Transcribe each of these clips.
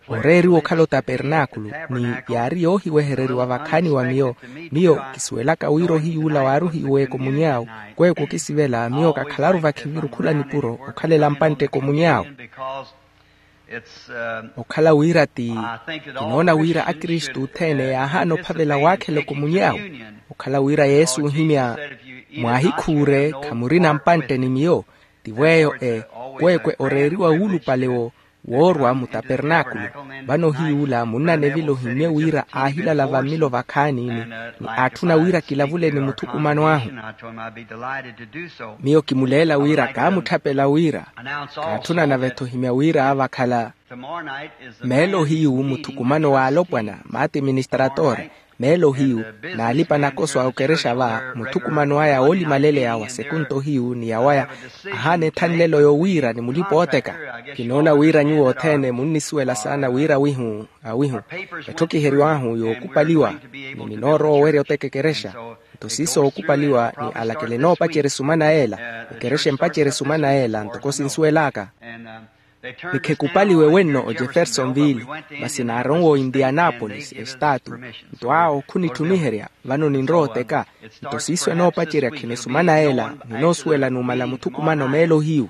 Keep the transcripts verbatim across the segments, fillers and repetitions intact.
Oreeriwa okhala otapernaakulu, ni yaari yoohiwehereriwa vakhaani wa miyo. Miyo kisuwelaka wira ohiyuula waaruhiwe ekomuny'awe. Kweeku okisivela miyo kakhalaru vakhiviru khula nipuro okhalela mpantte ekomuny'awe. Okhala wira ti kinoona wira akristu othene yaahaana ophavela waakhela ekomuny'awe. Okhala wira yesu ohimya, mwaahikhuure khamurina mpantte ni miyo. Tivo eyo e kweekwe oreeriwa wuulupale wo woorwa mutapernaakulu. Vano ohiyuula munnanevile ohimmye wira aahilala vammilo vakhaani ni aatthuna wira kilavule ni muthukumano ahu. Miyo kimuleela wira kaamutthapela wira kaatthuna nave-tho ohimya wira vakhala meelo hiyu muthukumano w'alopwana maati ministratore. Meelo hiyu n'alipa nakoso a okerexa va muthukumano aya woolimaleleya wa sekunto hiyu ni yawaya ahaana ethanlelo yowiira ni mulipa ooteka. Kinoona wira nyuwo othene munnisuwela saana wira awihu awihu etthokiheriw'ahu yookupaliwa ni ninoorowa owerya oteka ekerexa. Nto siiso ookupaliwa ni alakele enoopacerya esumana yeela ekerexa empacerya esumana yeela ntoko sinsuwel'aka. Ni khekupaliwe wenno ojeffersonville masi naaronwa oindianapolis estaatu. Nto awo khunitthumiherya vano ninrowa oteka. Nto siiso enoopacerya khino esumana yeela ninoosuwela numala muthukumano meelo hiyu.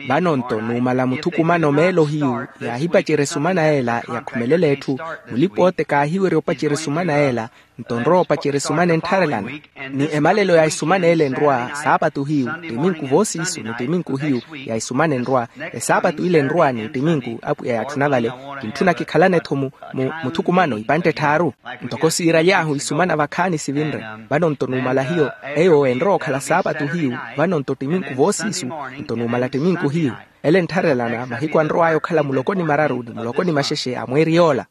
Vano nto numala muthukumano meelo hiyu yaahipacerya esumana yeela yakhumelela etthu. Mulipa ooteka aahiwerya opacerya esumana yeela nto nrowa opacerya esumana enttharelana. Ni emalelo ya esumana ele enrwa saapatu hiyu ttiminku voosiisu ni ttiminku hiyu ya esumana enrwa. Esaapatu ile enrwa ni ttiminku apwiya yaatthuna vale kintthuna kikhalane-tho muthukumano ipantte etthaaru. Ntoko siiraly'ahu isumana vakhaani sivinre. Vano nto numala hiyo eyo enrowa okhala saapatu hiyu vano nto ttiminku voosiisu nto numala ttiminku hiyu ele enttharelana mahiku anrow'aya okhala muloko ni mararu ni muloko ni maxexe a mweeri yoola.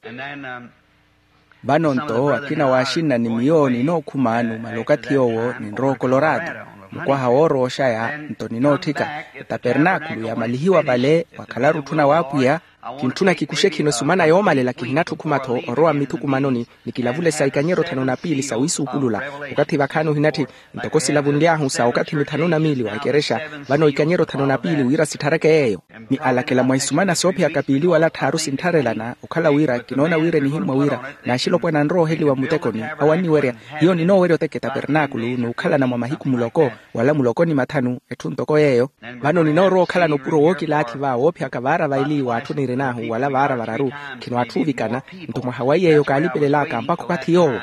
Vano nto akina waaxinna ni miyo ninookhuma numala okathi yoowo ninrowa okoloraato mukwaha woorowa oxaya. Nto ninootthika etapernaakulu yamalihiwa vale wakhalaru otthuna w'apwiya. Kintthuna kikuxe khino esumana yoomalela kihinatthukhuma-tho orowa mmithukumanoni ni kilavule sa ikanyero thanu na piili sa wiisuukulula. Okathi vakhaani ohinatthi ntoko silavunly'ahu sa okathi mithanu na miili wa ekerexa vano ikanyero thanu na piili wira sitthareke yeeyo. Ni alakela mwa isumana soophiyaka piili wala tthaaru sinttharelana okhala wira kinoona wira enihimmwa wira n'axilopwana anrowa oheliwa mmutekoni awo anniwerya. Hiyo ninoowerya oteka etapernaakulu n'ukhalana mwa mahiku muloko wala muloko ni mathanu etthu ntoko yeeyo. Vano ninoorowa okhalana opuro wookilaathi va woophiyaka vaara vaili w'atthu nirin'ahu wala vaara vararu khino atthu oovikana. Nto mwaha wa iy'eyo kaalipelel'aka mpakha okathi yoowo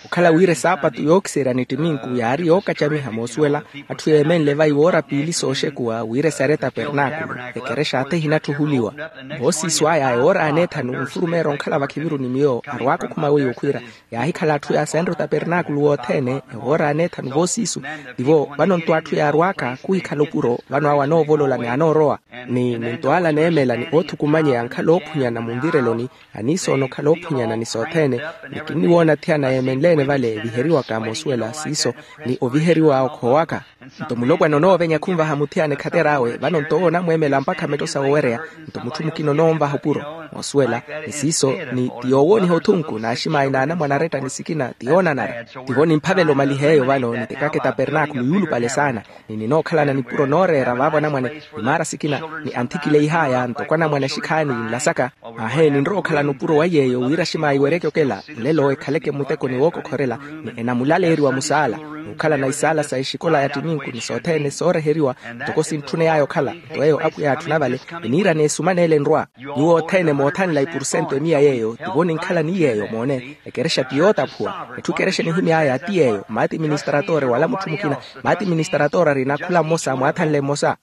okhala wira esaapatu yookiserya ni ttiminku yaari yookacamiha moosuwela. Atthu yeemenle vayi woora piili sooxekuwa wira esarye etapernaakulu ekerexa athi ehinatthuhuliwa. Voosiisu aya ewoora aneethanu nfurumeera onkhala vakhiviru ni miyo arwaaka okhuma weiwo khwiira yaahikhala atthu yaasenre otapernaakulu wothene ewoora aneethanu voosiisu. Tivo vano nto atthu yaarwaaka khuhikhala opuro vano awo anoovolola ni anoorowa ni nto ala aneemela ni oothukumanyeya ankhala oophunyana munvireloni. Aniisoona okhala oophunyana ni sothene ni kinniwoona athiyana yeemenleene vale eviheriwaka moosuwela siiso ni oviheriwa okhoowaka. Nto mulopwana onoovenya khunvaha muthiyana ekhater'awe vano nto owo onamweemela mpakha metto sa wowereya. Nto mutthu mukina onoonvaha opuro moosuwela ni siiso ni ti yoowooniha othunku n'aximaayi n'anamwane aretta ni sikina ti yoonanara. Tivo nimphavela omaliha eyo vano nitekaka etapernaakulu yuulupale saana ni ninookhalana nipuro nooreera vaavo anamwane ni maara sikina ni anthikile ihaaya ntoko anamwane axikhaani nlasaka. Aahe ninrowa okhalana opuro wa iy'eyo wira aximaayi weryeke okela olelo ekhaleke mmutekoni wookokhorela ni enamulaleeriwa musaala n'ukhalana isaala sa exikola ya ttiminku ni sothene sooreheriwa ntoko sintthuney'aya okhala. Nto eyo apwiya yaatthuna vale eniirana esumana ele enrwa. Nyuwo othene moothanla ipursentu emiya yeeyo tivo ninkhala ni yeeyo moone ekerexa ti yootaphuwa. Etthu ekerexa enihimy'aya ti yeeyo maati ministratore wala mutthu mukina maati ministratore arina khula mmosa mwaathanle mmosa.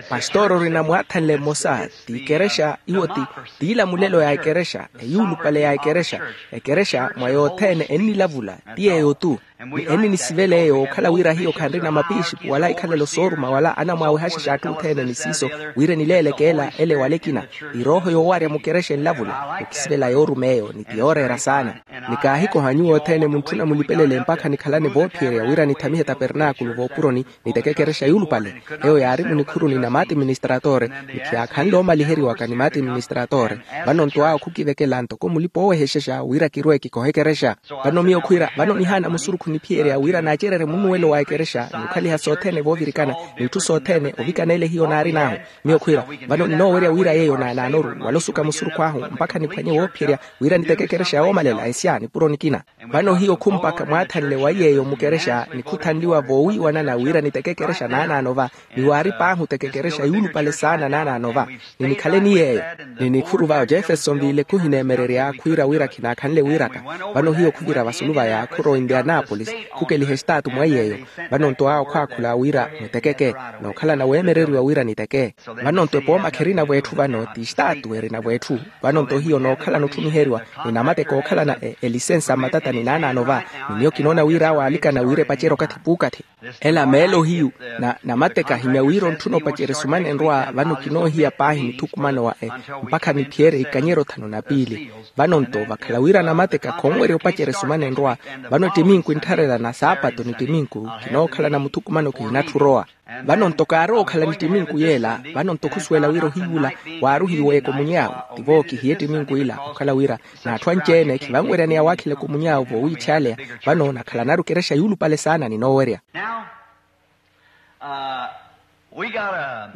Pastore orina mwaathanle mmosa ti ikerexa iwo ti tiilamulelo ya ekerexa eyuulupale ya ekerexa. Ekerexa mwa yothene ennilavula ti yeeyo-tu. Ni enninisivela eyo okhala wira hiyo khanrina mapixipu wala ikhalelo sooruma wala anamwaawehaxexa atthu othene ni siiso wira enileeleke ela ele wala ekina. Irooho yoowarya mukerexa enlavula okisivela yooruma eyo ni ti yooreera saana. Ni kaahikoha nyuwo othene muntthuna mulipelele mpakha nikhalane voophiyerya wira nithamihe tapernaakulu voopuroni niteke ekerexa yuulupale. Eyo yaari munikhuruni na maati ministratore ni khiyaakhanle omaliheriwaka ni maati ministratore. Vano nto awo khukivekela ntoko mulipa oowehexexa wira kirwe kikohe ekerexa. Vano miyo khwiira vano nihaana musurukhu Niphiyerya wira naacererye munnuwelo wa ekerexa ni okhaliha sothene voovirikana, n'itthu sothene ovikana ele hiyo naarin'ahu. Miyo khwiira, vano ninoowerya wira yeeyo naanaanoru wala osuka musurukhu ahu mpakha niphwanye woophiyerya wira niteke ekerexa yoomalela esya nipuro nikina. Vano hiyo khumpakha mwaathanle wa yeeyo mukerexa nikhuthanliwa voowiiwanana wira niteke ekerexa naanaano va, ni waari paahi oteke ekerexa yuulupale saana naanaano va, ni nikhale ni yeeyo. Ni nikhuru va ojefeson viile khuhineemererya khwiira wira khinaakhanle wiiraka. Vano hiyo khuvira vasulu vaya khurowa indianapolis, khukeliha estaatu mwa yeeyo. Vano nto awo khwaakhula wira mutekeke, nookhalana weemereriwa wira niteke. Vano nto epooma kherina-vo etthu vano ti estaatu erina-vo etthu. Vano nto hiyo nookhalana otthumiheriwa ni namateka ookhalana elisensa mmatatani naanaano va, ni miyo kinoona wira awo aalikana wira epacerye okathi puukathi. Ela meelo hiyu, na namateka ahimya wira ontthuna opacerya esumana enrwa vano kinoohiya paahi nithukumano wa e, mpakha niphiyerye ikanyero thanu na piili. Vano nto vakhala wira namateka khonwerya opacerya esumana enrwa, vano ettiminku enttharela na saapato ni ettiminku kinookhalana muthukumano kihinatthi orowa. Vano nto kaarowa okhala ni ettiminku yeela. Vano nto khusuwela wira ohiyuula waaruhiwa ekomunyawe, tivo kihiye ettiminku ila okhala wira n'atthu anci-ene khivanweryaneya waakhela ekomunyawe voowiitthyaaleya. Vano nakhalanaru ekerexa yuulupale saana ninoowerya.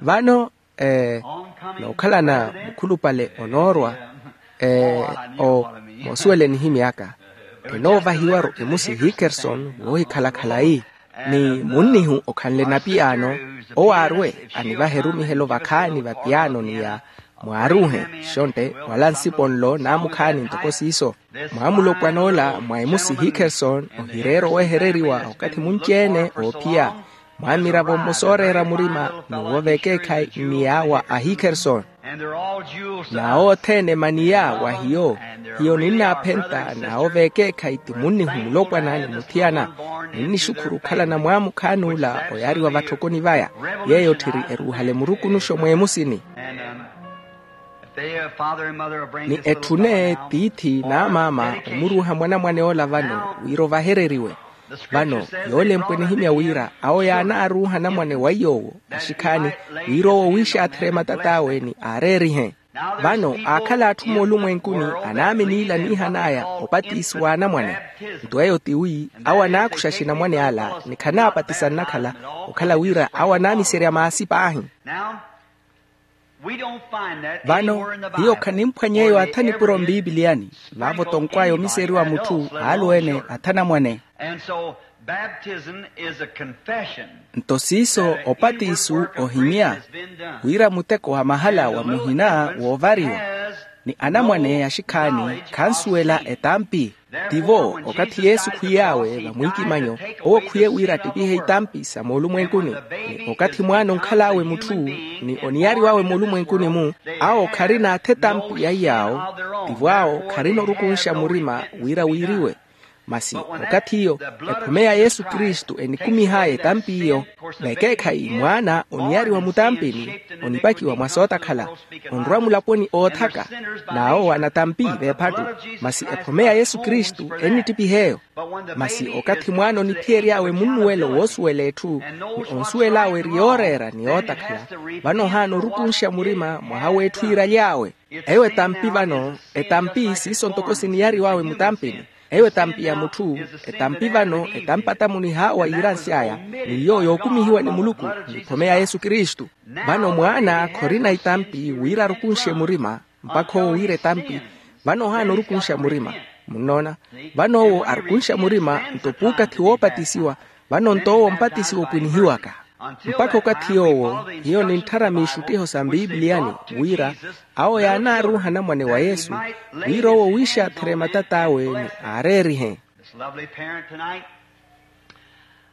Vano nookhalana mukhulupale onoorwa, o moosuwela enihimy'aka, enoovahiwaru emusi hikerson woohikhala khalayi. Ni munnihu okhanle napiyaano, owo aarwe anivahe erumihelo vakhaani va piyaano ni ya mwaaruuhe, xontte wala nsipo nlo naamukhaani ntoko siiso. Mwaamulopwan'ola mwa emusi hikerson ohireera owehereriwa okathi munci-ene oophiya, mwaamiravo mmosa ooreera murima ni woova ekeekhayi ni yaawa a hikerson. N'awo othene emaniya wa hiyo. Hiyo ninnaaphenta n'awo v'ekeekhayi ti munnihu mulopwana ni muthiyana. Ninnixukhuru okhalana mwaamukhaani ula oyaariwa vatthokoni vaya, yeeyo otthiri eruuhale murukunuxo mw'emusini. Ni etthune tiithi n'amaama omuruuha mwanamwane ola vano wira ovahereriwe. Vano yoolempwa enihimya wira awo yaanaaruuha anamwane wa iy'owo axikhaani, wira owo wiixaatherye matat'awe ni aareerihe. Vano aakhala atthu moolumwenkuni anaamini ila aniihan'aya opatisi w'anamwane. Nto eyo tiwi awo anaakuxa axinamwane ala ni khanaapatisa nnakhala, okhala wira awo anaamiserya maasi paahi. Vano hiyo khanimphwanya eyo atha nipuro mbiipiliyani. Vaavo tonkw'aya omiseriwa mutthu aaluwene atha anamwane. Nto siiso opatiso ohimya wira muteko wa mahala wa muhina woovariwa, ni anamwane axikhaani khansuwela etampi. Tivo okathi yesu khwiy'awe vamwiikimanyo, owo khwiye wira attipihe itampi sa moolumwenkuni. Ni okathi mwaana onkhal'awe mutthu ni oniyariw'awe moolumwenkuni-mu, awo kharina atha etampi ya iy'awo. Tivo awo kharina orukunxa murima wira wiiriwe. Masi okathi iyo ephome ya yesu kristu enikumih'aya etampi iyo. Vekeekhayi mwaana oniyariwa mutampini, onipakiwa mwa sootakhala, onrwa mulaponi oothaka, n'awo anatampi v'ephattu. Masi ephome ya yesu kristu ennittipih'eyo. Masi okathi mwaana oniphiyery'awe munnuwelo woosuwela etthu, ni onsuwel'awe eri yooreera ni yootakhala, vano ohaana orukunxa murima mwaha w'etthu yiiraly'awe. Eyo etampi vano, etampi siiso ntoko siniyariw'awe mutampini. Eyo etampi ya mutthu, etampi vano etampi atamunih'awe yiiransy'aya, ni iyo yookumihiwa ni muluku, ni ephome ya yesu kristu. Vano mwaana khorina itampi wira arukunxe murima, mpakha owo wira etampi. Vano ohaana orukunxa murima. Munnoona? Vano owo arukunxa murima nto puukathi woopatisiwa. Vano nto owo mpatisiwa opwinihiwaka. Mpakha okathi yoowo hiyo nintthara miixuttiho sa mbiipiliyani, wira awo yaanaaruuha anamwane wa yesu, wira owo wiixaatherye matat'awe ni aareerihe.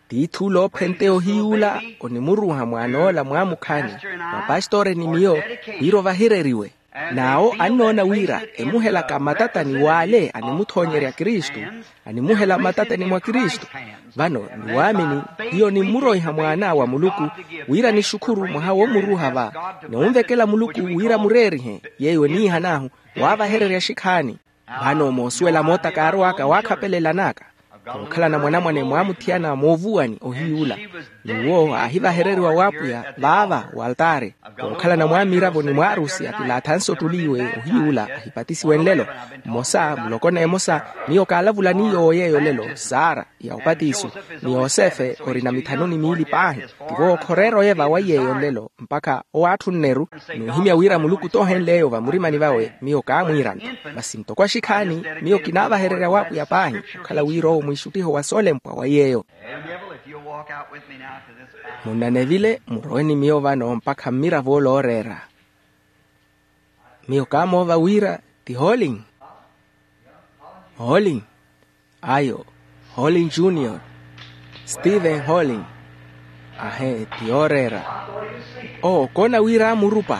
Tiithi ula oophenteya ohiy'ula onimuruuha mwaan'ola mwaamukhaani, mwa pastori ni miyo, wira ovahereriwe. N'awo annoona wira emuhelaka mmatatani w'ale animuthoonyerya kristu, animuhela mmatatani mwa kristu. Vano ni waamini, hiyo nimmuroiha mwaana wa muluku, wira nixukhuru mwaha woomuruuha va, ni onvekela muluku wira mureerihe yeeyo eniihan'ahu, waavahererya axikhaani. Vano moosuwela moota kaarow'aka waakhapelela an'aka, khookhalana mwanamwane mwaamuthiyana moovuwani ohiy'ula. N'uwo aahivahereriwa w'apwiya vaava waltaari. Khookhalana mwaamiravo ni mwaarusi atilaathanse ottuli iwe ohiy'ula ahipatisiwe nlelo. Mmosa mulokona emosa, miyo kaalavulani yoowo yeeyo lelo sara. ya opatiso, ni yosefe orina mithanu ni miili paahi. Tivo okhoreera oyeva wa iyeeyo nlelo mpakha owaatthunneru. N'uhimya wira muluku toohenle eyo vamurimani vawe miyo kaamwiirana. Masi ntoko axikhaani, miyo kinaavahererya w'apwiya paahi okhala wira owo mwiixuttiho wa soolempwa wa iyeeyo. Munnanevile murowe ni miyo vano mpakha mmiravo ole ooreera. Miyo kaamoova wira ti holing. Holing. Ayo, holing junior. Steven holing. Ahe ti yooreera. Oo koona wira aamurupa.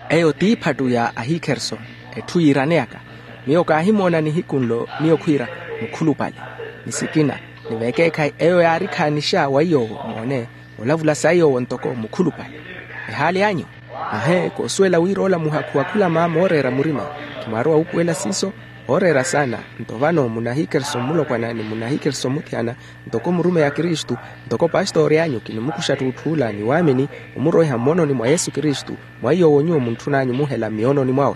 Eyo t'iphattu ya ahikherson. Etthu yiiraneyaka. Miyo kaahimoona nihiku nlo miyo khwiira mukhulupale. Ni sikina, ni vekeekhayi eyo yaarikhaanixa wa iyoowo moone, olavula sayi yoowo ntoko mukhulupale. Ehaali anyu. Ahe koosuwela wira ola muhakhu wa khula maama ooreera murima. Khimwaarowa wuupuwela siiso. Ooreera saana. Nto vano munahikeriso mmulopwana ni munahikeriso mmutthiyana, ntoko murumeyi a kristu, ntoko pastori anyu kinimukuxa ttuutthuula ni waamini, omuroiha mmoononi mwa yesu kristu, mwa iyoowo nyuwo muntthun'anyu muhela mmiyoononi mwawe.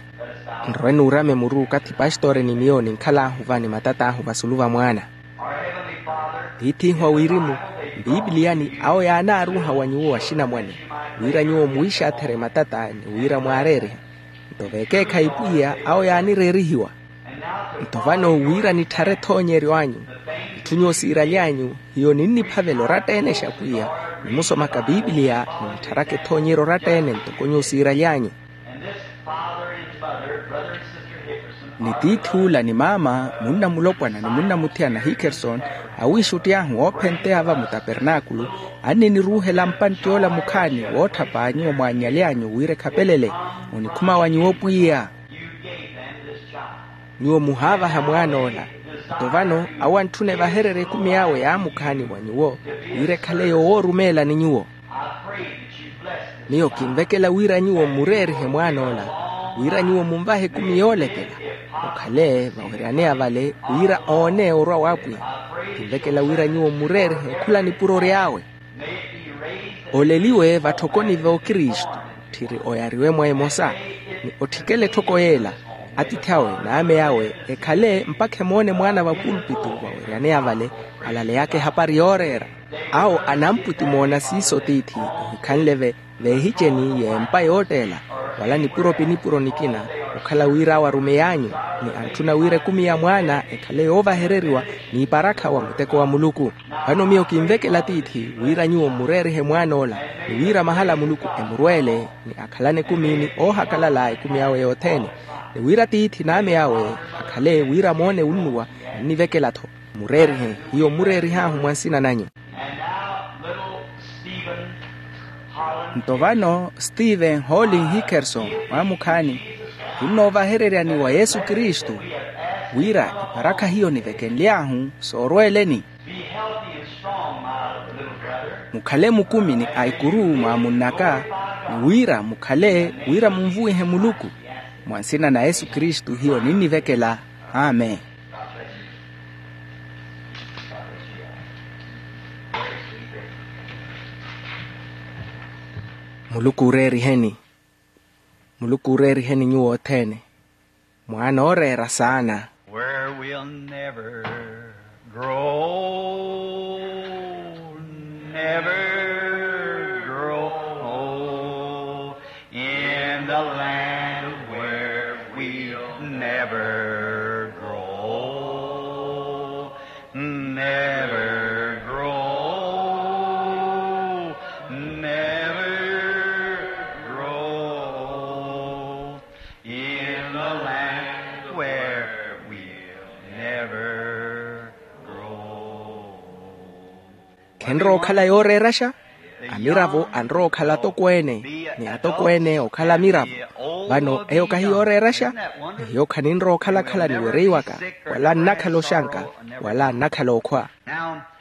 Nrowe nuurame muru okathi pastori ni miyo ninkhal'ahu va ni matat'ahu vasulu va mwaana. Tiith'ihu a wirimu, mpiipiliyani awo yaanaaruuha wa nyuwo axinamwane, wira nyuwo muwiixaatherye matata ni wira mwaareerihe. Nto veekeekhayi pwiya awo yaanireerihiwa. Nto vano wira nitthare ethoonyeryo anyu, itthu nyuwo siiraly'anyu, hiyo ninniphavela oratta-ene xa pwiya, nimusomaka piipiliya, ninttharaka ethoonyeryo oratta-ene ntoko nyuwo siiraly'anyu. Ni tiith'ula ni maama munna mulopwana ni munna muthiyana hickerson, awiixutti ahu oophenteya va mutapernaakulu, anniniruuhela mpantti ola mukhaani wootthapa nyuwo mwaannyalyanyu wira ekhapelele. Onikhuma wa nyuwo pwiya. Nyuwo muhaavaha mwaan'ola. Nto vano awo antthuna evahererye ekumi awe yaamukhaani wa nyuwo, wira ekhale yoowoorumeelani nyuwo. Miyo kinvekela wira nyuwo mmureerihe mwaan'ola, wira nyuwo munvahe ekumi yoolekela, okhale vaweryaneya vale wira oone orwa w'apwiya. Kinvekela wira nyuwo mmureerihe khula nipuro ry'awe. Oleliwe vatthokoni v'okristu, tthiri oyariwe mwa emosa, ni otthikele etthoko yeela. Atiithi awe n'ame awe ekhale mpakha emoone mwaana va pulpitu vaweryaneya vale, alaleyaka ehapari yooreera. Awo anampwitimoona siiso tiithi, ohikhanle-ve veehiceni y'empa yootteela, wala nipuro-pinipuro nikina, okhala wira awo arumey'anyu, ni antthuna wira ekumi ya mwaana ekhale yoovahereriwa n'iparakha wa muteko wa muluku. Vano miyo kinvekela tiithi wira nyuwo mmureerihe mwaan'ola, ni wira mahala a muluku emurweele, ni akhalane ekumi ni oohakalala ekumi awe yothene, ni wira tiithi n'ame awe akhale wira moone wunnuwa. Nnivekela-tho mmureerihe, hiyo mmureerih'ahu mwa nsina nanyu. Nto vano steven holing hickerson, mwaamukhaani, kinnoovahereryani wa yesu kristu, wira iparakha hiyo nivekenly'ahu soorweeleni. Mukhale mukumi ni aikuru mwaamunn'aka, ni wira mukhale wira munvuwihe muluku. Mwa nsina na yesu kristu hiyo ninnivekela. Amen. Muluku ooreeriheni. Muluku ooreeriheni nyuwo othene. Mwaana ooreera saana. Where we'll never grow, never grow, in the land where we'll never grow, never grow, never grow. In the land where we'll never grow. Khenrowa okhala yooreeraxa. Amiravo anrowa okhala atokweene, ni atokweene okhala amiravo. Vano eyo kahi yooreeraxa. Ni hiyo khaninrowa okhala-khala ni wereiwaka, wala nnakhala oxanka, wala nnakhala okhwa.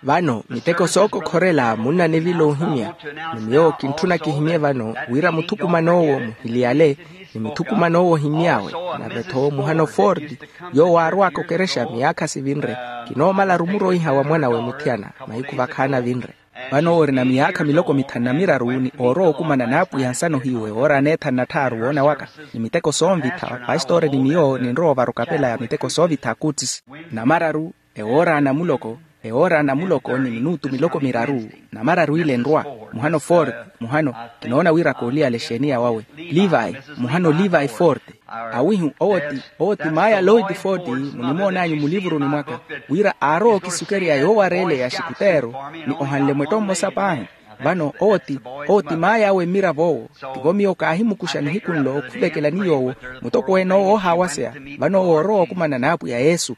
Vano miteko sookokhorela munna nivila ohimya. Ni miyo kintthuna kihimye vano wira muthukuman'owo muhiliyale, ni muthukuman'owo ohimy'awe, nave-tho muhano forti, yoowo aarw'aka okerexa miyaakha sivinre, kinoomala-ru muroiha wa mwan'awe muthiyana mahiku vakhaani avinre. Vano owo orina miyaakha miloko mithanu na miraru ni oorowa okumana n'apwiya nsana ohiyu ewoora aneethanu na tthaaru woona waka, ni miteko soonvitha pastori ni miyo ninrowa ovara okapela ya miteko soovitha akutsisi. Namararu, ewoora ana muloko, Ewoora na muloko ni minutu miloko miraru, namararu ile nrwa. Muhano forte, muhano, kinoona wira kooliyala exeeniya wawe. Levi, muhano levi forte. Awihu owo ti, owo ti maya lloyd forte. Munimoonanyu mulivuruni mwaka, wira aarowa okisukerya yoowareeleya axikuteero, ni ohanle mwetto mmosa paahi. Vano owo ti, owo ti maya awe mmirav'owo. Tivo miyo kaahimukuxa nihiku nlo khuvekela ni yoowo, mutokweene owo oohaawaseya. Vano owo orowa okumana n'apwiya yesu.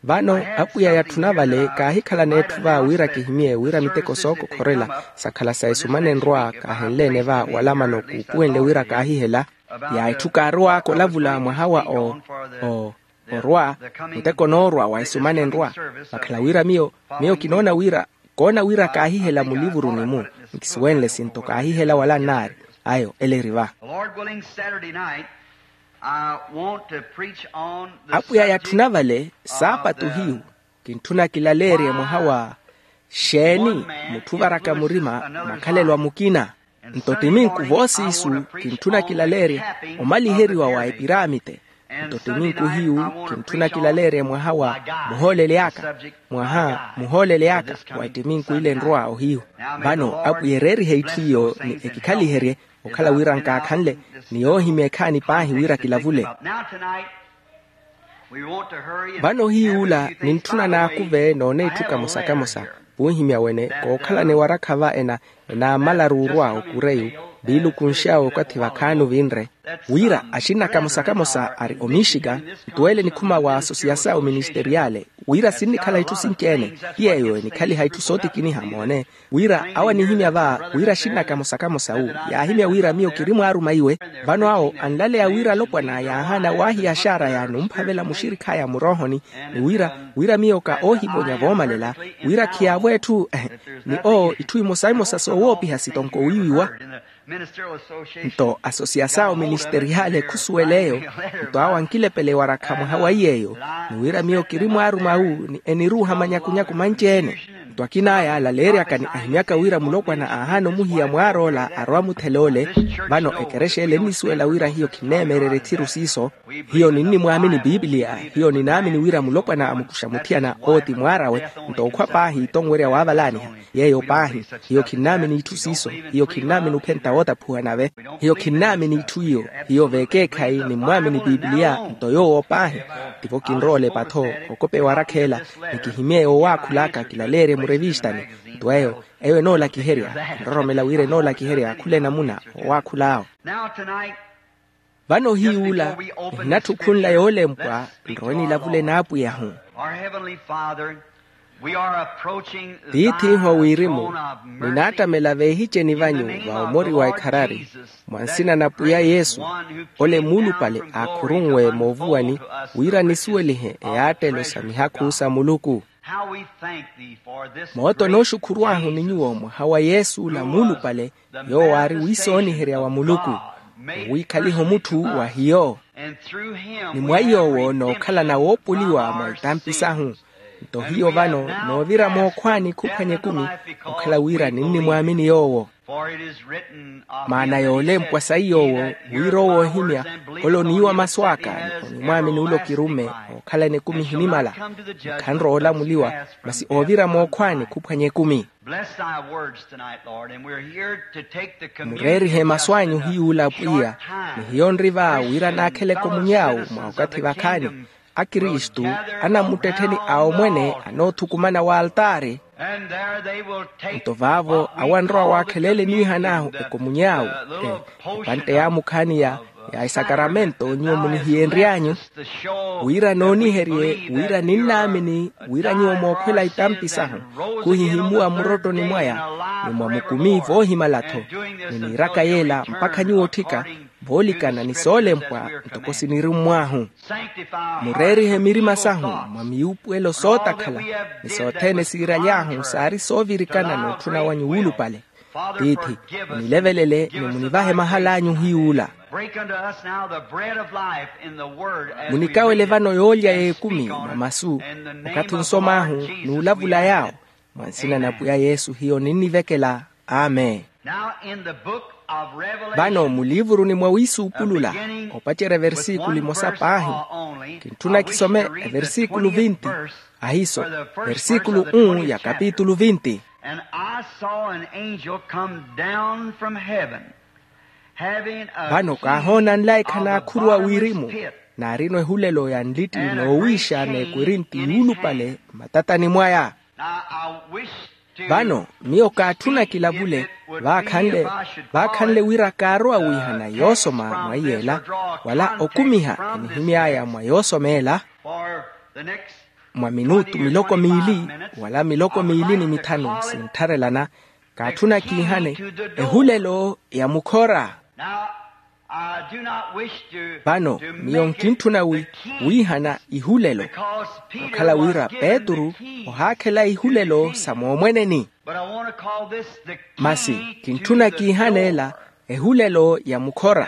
Vano, apwiya yatthuna vale kaahikhalana etthu va wira kihimye wira miteko sookokhorela sakhala sa esumana enrwa kaahenleene va wala mano kuupuwenle wira kaahihela. Ya etthu kaarow'aka olavula mwaha wa o o orwa, muteko noorwa wa esumana enrwa. Vakhala wira miyo, miyo kinoona wira, koona wira kaahihela mulivuruni-mu. Nkisuwenle sinto kaahihela wala nnaari. Ayo ele eri va. Apwiya yatthuna vale, saapatu hiyu, kintthuna kilaleerye mwaha wa xeeni mutthu ovaraka murima makhalelo a mukina. Nto ti minku voosiisu, kintthuna kilaleerye omaliheriwa wa epiramite. Nto ti minku hiyu, kintthuna kilaleerye mwaha wa muhoolele aka, mwaha muhoolele aka wa ettiminku ile enrwa ohiyu. Vano apwiya ereerihe itthu iyo ni ekikhaliherye, okhala wira nkaakhanle ni yoohimya ekhaani paahi wira kilavule. Vano hiy'ula nintthuna naakuve noona itthu kamosa-kamosa. Vuuhimya wene kookhalana ewarakha va ena enaamalaru orwa okureyu, viilukunx'awe okathi vakhaani ovinre, wira axinna kamosa-kamosa ari omixica, nto ele nikhuma wa asosiyasao ministeriyale, wira sinnikhala itthu sinci-ene. Ti yeeyo enikhaliha itthu sootikiniha moone, wira awo anihimya va wira axinna kamosa-kamosa wu yaahimya wira miyo kiri mwaaruma iwe. Vano awo anlaleya wira alopwana yaahaana waahiya axaaraya numphavela muxirikh'aya muroohoni, ni wira, wira miyo ka oohivonya voomalela, wira khiyaavo etthu, ni owo itthu imosa-imosa soowoopiha sitonko wiiwiwa. Nto asosiyasao ministeriyale khusuwel'eyo, nto awo ankilepela ewarakha mwaha wa iy'eyo, ni wira miyo kiri mwaaruma wu ni eniruuha manyakunyaku manci-ene. Nto akin'aya alaleeryaka ni ahimyaka wira mulopwana aahaana omuhiya mwaar'ola arowa muthel'ole. Vano ekerexa ele ennisuwela wira hiyo khinneemererya ethiru siiso. Hiyo ninnimwaamini piipiliya. Hiyo ninaamini wira mulopwana amukuxa muthiyana owo ti mwaar'awe. Nto okhwa paahi tonwerya waavalaaniha. Yeeyo paahi. Hiyo khinnaamini itthu siiso. Hiyo khinnaamini ophenta wootaphuwa nave. Hiyo khinnaamini itthu iyo. Hiyo veekeekhayi nimmwaamini piipiliya. Nto yoowo paahi. Tivo kinrowa olepa-tho okopa ewarakha ela, ni kihimye yowaakhul'aka kilaleerye murevistani. Nto eyo, eyo enoolakiherya. Enroromela wira enoolakiherya khula enamuna owaakhul'awo. Vano hiy'ula, ehinatthi okhunla yoolempwa nrowe nilavule n'apwiyahu. Tiith'ihu a wirimu, ninaattamela veehiceni vanyu va omori wa ekharari, mwa nsina na pwiya yesu, ole muulupale aakhurunwe moovuwani, wira nisuwelihe eyaattelo sa mihakhu sa muluku. Moota onooxukhurw'ahu ni nyuwo mwaha wa yesu ola muulupale, yoowo aari wiisooniherya wa muluku, owiikhaliha omutthu wa hiyo. Ni mwa yoowo nookhalana woopuliwa mwa itampi sahu. Nto hiyo vano noovira mookhwaani khuphwanya ekumi, okhala wira ninnimwaamini yoowo. Maana yoolempwa sayi yoowo, wira owo oohimya, ole oniiwa masu aka, onimwaamini ole okirumme, ookhalana ekumi ehinimala. Khanrowa olamuliwa, masi oovira mookhwaani khuphwanya ekumi. Mureerihe masu anyu hiy'ula apwiya, ni hiyo nri va wira naakheleke omuny'awu mwa okathi vakhaani. Akristu anammuttettheni a omwene anoothukumana w'altaari. Nto vaavo awo anrowa waakheleele niihan'ahu ekomuny'awu, epantte yaamukhaani ya, ya esakaramento nyuwo munihiyenry'anyu, wira nooniherye wira ninnaamini wira nyuwo mookhwela itampi sahu, khuhihimuwa mmurottoni mwaya, ni mwa mukumi voohimala-tho, ni niiraka yeela mpakha nyuwo otthika, voolikana ni soolempwa ntoko sinirummw'ahu. Mureerihe mirima sahu mwa miyuupuwelo sootakhala, ni sothene siiraly'ahu saari soovirikana n'utthuna wanyu wuulupale. Tiithi, munilevelele ni munivahe mahal'anyu hiy'ula. Munikawele vano yoolya y'ekumi mwa masu, okathi onsom'ahu n'ulavula yaawo. Mwa nsina na pwiya yesu hiyo ninnivekela. Amen. Vano muliivuruni mwa wiisuupulula, opacerya eversiikulu emosa paahi, kintthuna kisome eversiikulu vinti. Ahiiso, eversiikulu unu ya kapitulu vinti. And I saw an angel come down from heaven, having a key. Vano kaahoona nlaikha naakhuruwa wirimu, naarino ehulelo ya nlitti noowiixa n'ekwirinti yuulupale mmatatani mwaya. Now I wish to. Vano miyo kaatthuna kilavule, vaakhanle vaakhanle wira kaarowa wiihana yoosoma mwa iy'ela, wala okumiha enihimy'aya mwa yoosoma ela. For the next. Mwa minutu miloko miili wala miloko miili ni mithanu sinttharelana, kaatthuna kiihane ehulelo ya mukhora. Now, I do not wish to. Vano miyo nkintthuna wiihana ihulelo, okhala wira petru ohaakhela ihulelo sa moomweneni. Masi kintthuna kiihana ela ehulelo ya mukhora.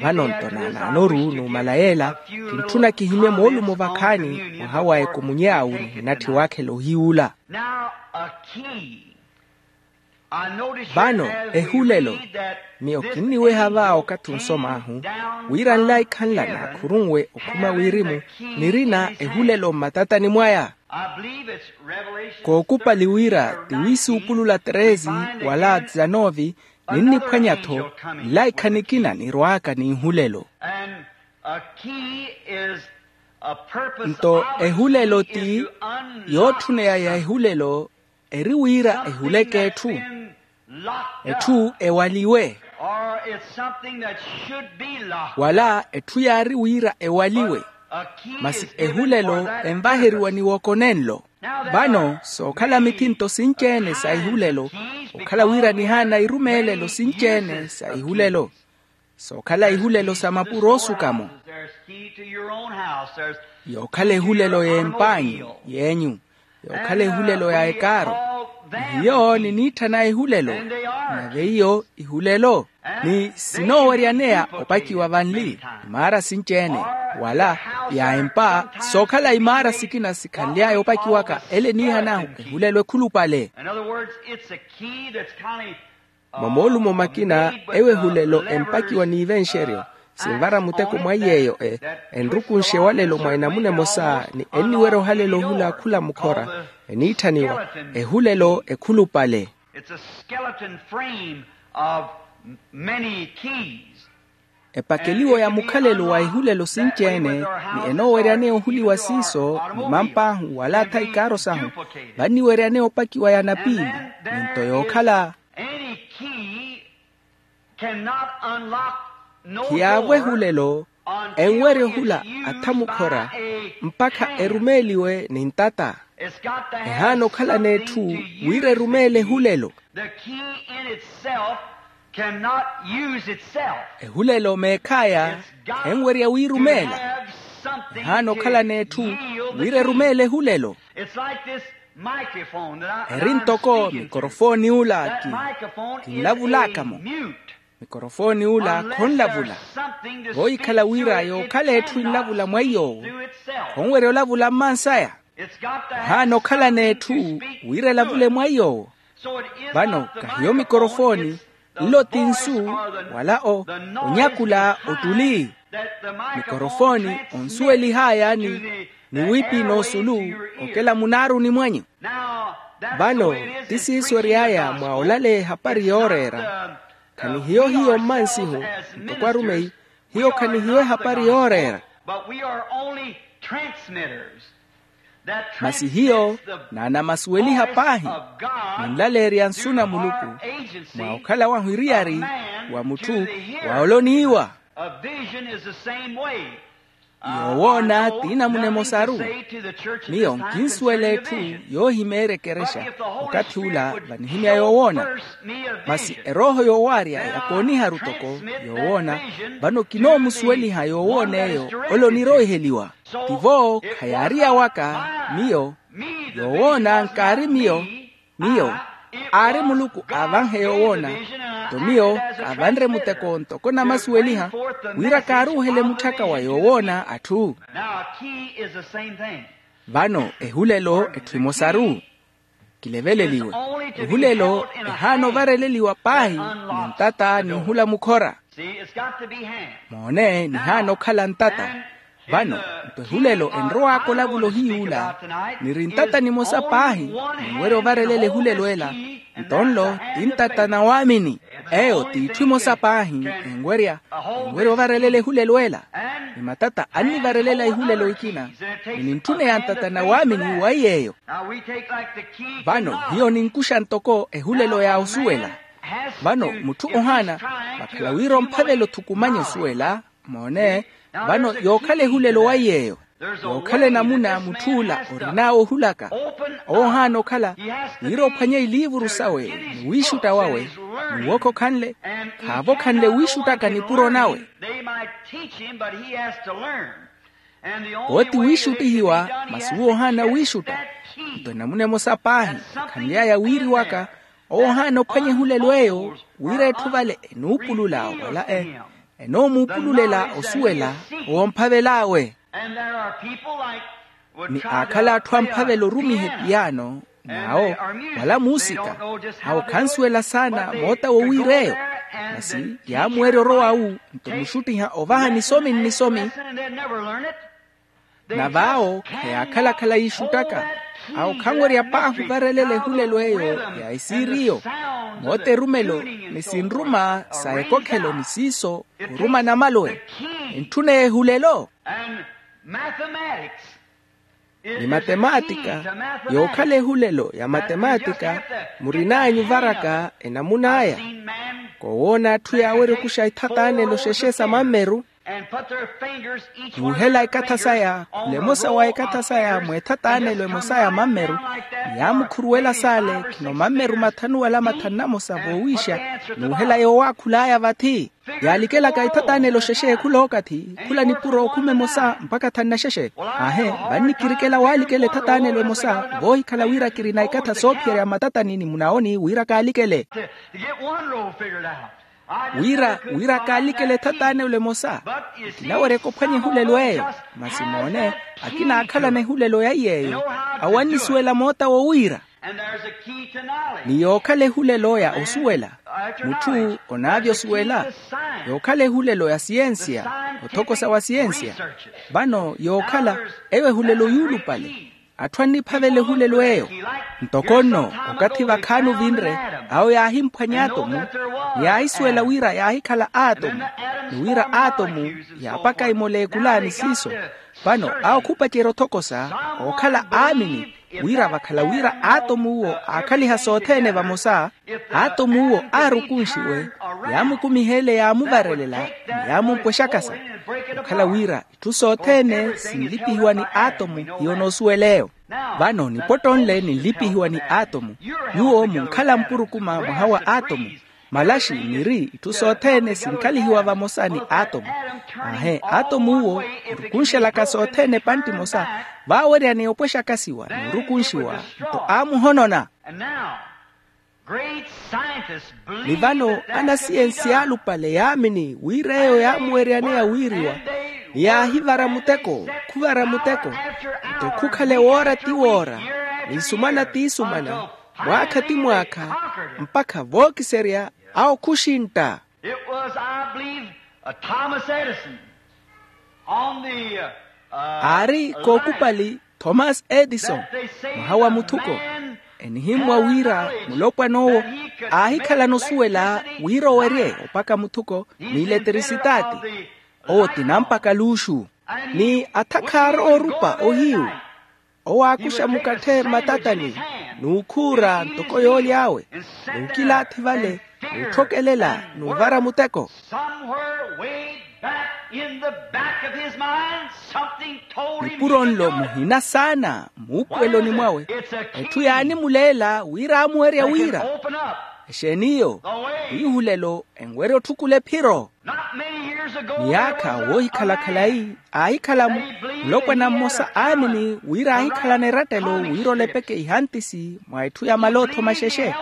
Vano-nto naanaanoru numala yeela, kintthuna kihimye moolumo vakhaani mwaha wa ekomunye awu nihinatthi waakhela ohiyuula. Vano ehulelo, miyo kinniweha va okathi onsom'ahu, wira nlaikha nla naakhurunwe okhuma wirimu, nirina ehulelo mmatatani mwaya. Kookupali wira ti wiisuupulula treze wala dizanovi, ninniphwanya-tho nlaikha nikina nirwaaka n'ihulelo. Nto ehulelo ti yootthuneya ya ehulelo, eri wira ehuleke etthu, etthu ewaliwe, wala etthu yaari wira ewaliwe. Masi ehulelo envaheriwa ni wooko nenlo. Vano sookhala mithinto sinci-ene sa ehulelo, okhala wira nihaana irumeelelo sinci-ene sa ehulelo. Sookhala ihulelo sa mapuro oosuka-mo, yookhala ehulelo y'emp'anyu, y'enyu, yookhala ehulelo ya ekaaro. Ni hiyo niniitthana ehulelo, nave iyo ihulelo. Ni sinooweryaneya opakiwa vanli imaara sinci-ene, wala ya empa, sookhala imaara sikina sikhanly'aya opakiwaka ele eniihan'ahu ehulelo ekhulupale. Mwa moolumo makina, ewo ehulelo empakiwa n'ivenxeryo, sinvara muteko mwa iy'eyo enrukunxe ewalelo mwa enamuna emosa ni enniwerya ohalela ohula khula mukhora, eniitthaniwa ehulelo ekhulupale. Epakeliwo ya mukhalelo wa ehulelo sinci-ene, ni enooweryaneya ohuliwa siiso ni mamp'ahu wala atha ikaaro sahu, vanniweryaneya opakiwa ya napiili, ni nto yookhala. Khiyaavo ehulelo enwerya ohula atha mukhora mpakha erumeeliwe ni ntata. Ehaana okhala n'etthu wira erumeele ehulelo. Ehulelo meekhaya enwerya wiirumeela. Ehaana okhala n'etthu wira erumeele ehulelo. Eri ntoko mikorofooni ula kinlavulaka-mo. Mikorofooni ula khonlavula. Voohikhala wira yookhala etthu enlavula mwa iy'owo, khonwerya olavula mmansaya. Ohaana okhala n'etthu wira elavule mwa iy'owo. Vano kahiyo mikorofooni, nlo ti nsu wala onyakula ottuli. Mikorofooni onsuwelih'aya ni wiipi n'osulu okela munaaruni mwanyu. Vano ti siiso ery'aya mwa olaleya ehapari yooreera. Khanihiyo hiyo mmansihu ntoko arumeyi, hiyo khanihiyo ehapari yooreera. Masi hiyo naanamasuweliha paahi, ninlaleerya nsu na muluku mwa okhala wahu eriyari wa mutthu wa oloniiwa. Yoowoona t'inamuna emosaru. Miyo nkinsuwela etthu yoohimeerya ekerexa okathi ula vanihimya yoowoona. Masi erooho yoowaarya ya kooniharu toko yoowoona. Vano kinoomusuweliha yoowoon'eyo ole oniroiheliwa. Tivo khayaari yawaka miyo. Yoowoona nkaari miyo. Miyo aari muluku aavanhe yoowoona. Nto miyo kaavanre muteko ntoko namasuweliha wira kaaruuhele mutthaka wa yoowoona atthu. Vano ehulelo etthu emosaru. Kileveleliwe. Ehulelo ehaana ovareleliwa paahi ni ntata ni ohula mukhora. Moone nihaana okhala ntata. Vano nto ehulelo enrowaka olavula ohiyuula, niri ntata nimosa paahi. Ninwerya ovarelela ehulelo ela. Nto nlo ti ntata na waamini. Eyo t'itthu emosa paahi. Enwerya enwerya ovarelela ehulelo ela. Ni matata annivarelela ehulelo ekina, ni nintthuneya ntata na waamini wa iy'eyo. Vano hiyo ninkuxa ntoko ehulelo ya osuwela. Vano mutthu ohaana vakhala wira omphavela othukumanya osuwela. Moone, vano yookhala ehulelo wa iy'eyo. Yookhala enamuna mutth'ula orin'awe ohulaka. Owo ohaana okhala wira ophwanye iliivuru sawe, ni wiixutta wawe, ni wookha okhanle, khaave okhanle wiixuttaka nipuro nawe. Owo ti wiixuttihiwa, masi uwo ohaana wiixutta. Nto enamuna emosa paahi ekhanly'aya wiiriwaka. Owo ohaana ophwanya ehulelo eyo, wira etthu vale enuupulula wala e enoomuupululela osuwela owo omphavel'awe. Ni aakhala atthu amphavela orumiha epiyaano, n'awo wala muusika, awo khansuwela saana moota wowiira eyo. Masi yaamuwerya orowa awu, nto muxuttiha ovaha nisomi nnisomi. Na vaawo khayaakhala-khala yiixuttaka. Awo khanwerya paahi ovarelela ehulelo eyo ya esiiriyo. Moota erumelo ni sinruma sa ekokhelo ni siiso oruma namaluwe. Ntthuneya ehulelo. Ni matemaatika, yookhala ehulelo ya matemaatika, murin'anyu varaka enamun'aya. Koowoona atthu yaawerya okuxa ethataanelo xexe sa mammeru, nuuhela ekatha saya khula emosa wa ekatha saya mweethatanelo emosa ya mammeru, ni yaamukhuruwela saale khino mammeru mathanu wala mathanu namosa voowiixa. Nuuhela yoowaakhul'aya vathi yaalikelaka ethatanelo xexe khula okathi, khula nipuro okhuma emosa mpakha thanu na xexe. Aahe, vannikirikela waalikela ethatanelo emosa voohikhala wira kirina ekatha soophiyerya matatani ni munaoni wira kaalikele. Wira wira kaalikele ethatanelo emosa. Kinaweryaka ophwanya ehulelo eyo. Masi moone, akina aakhalana ehulelo ya iy'eyo, awo annisuwela moota wowiira. Ni yookhala ehulelo ya osuwela, mutthu onaavya osuwela. Yookhala ehulelo ya siyensiya, othokosa wa siyensiya. Vano yookhala eyo ehulelo yuulupale. Atthu anniphavela ehulelo eyo. Ntoko nno, okathi vakhaani ovinre, awo yaahimphwanya atomu, ni yaahisuwela wira yaahikhala atomu, ni wira atomu yaapaka imoleekula ni siiso. Vano awo khupacerya othokosa ookhala aamini, wira vakhala wira atomu uwo aakhaliha sothene vamosa. Atomu uwo aarukunxiwe, yaamukumiha ele yaamuvarelela, ni yaamumpwexakasa. Okhala wira itthu sothene sinlipihiwa ni atomu, hiyo noosuwela eyo. Vano nipotto nle ninlipihiwa ni atomu. Nyuwo munkhala mpurukuma mwaha wa atomu. Malaxi niri itthu sothene sinkhalihiwa vamosa ni atomu. Aahe, atomu uwo orukunxelaka sothene epantti emosa, vaaweryaneya opwexakasiwa n'urukunxiwa, nto aamuhonona. Ni vano anasiyensi yaalupale yaamini wira eyo yaamuweryaneya wiiriwa, ni yaahivara muteko khuvara muteko, nto khukhale woora ti woora, ni isumana ti isumana, mwaakha ti mwaakha, mpakha vookiserya awo khuxintta. It was, I believe, uh, Thomas Edison on the, uh, uh, aari kookupali thomas edison, mwaha wa muthuko, enihimmwa wira mulopwana owo aahikhalana osuwela wira owerye opaka muthuko n'ileterisitaati. Owo ti nampaka luuxu, ni athakhaara oorupa ohiyu. Owo aakuxa mukatthe mmatatani, n'ukhuura ntoko yooly'awe, n'ukilaathi vale, n'utthokelela, n'uvara muteko. Somewhere way back in the back of his mind, something told him. Nipuro nlo muhina saana muupuweloni mwawe, etthu yaanimuleela wira aamuwerya wira, exeeni iyo? Wiihulelo enwerya otthukula ephiro. Miyaakha woohikhala khalayi, aahikhala mulopwana mmosa aamini wira aahikhalana erattelo wira olepeke ihantisi mwa etthu ya malootho maxexe.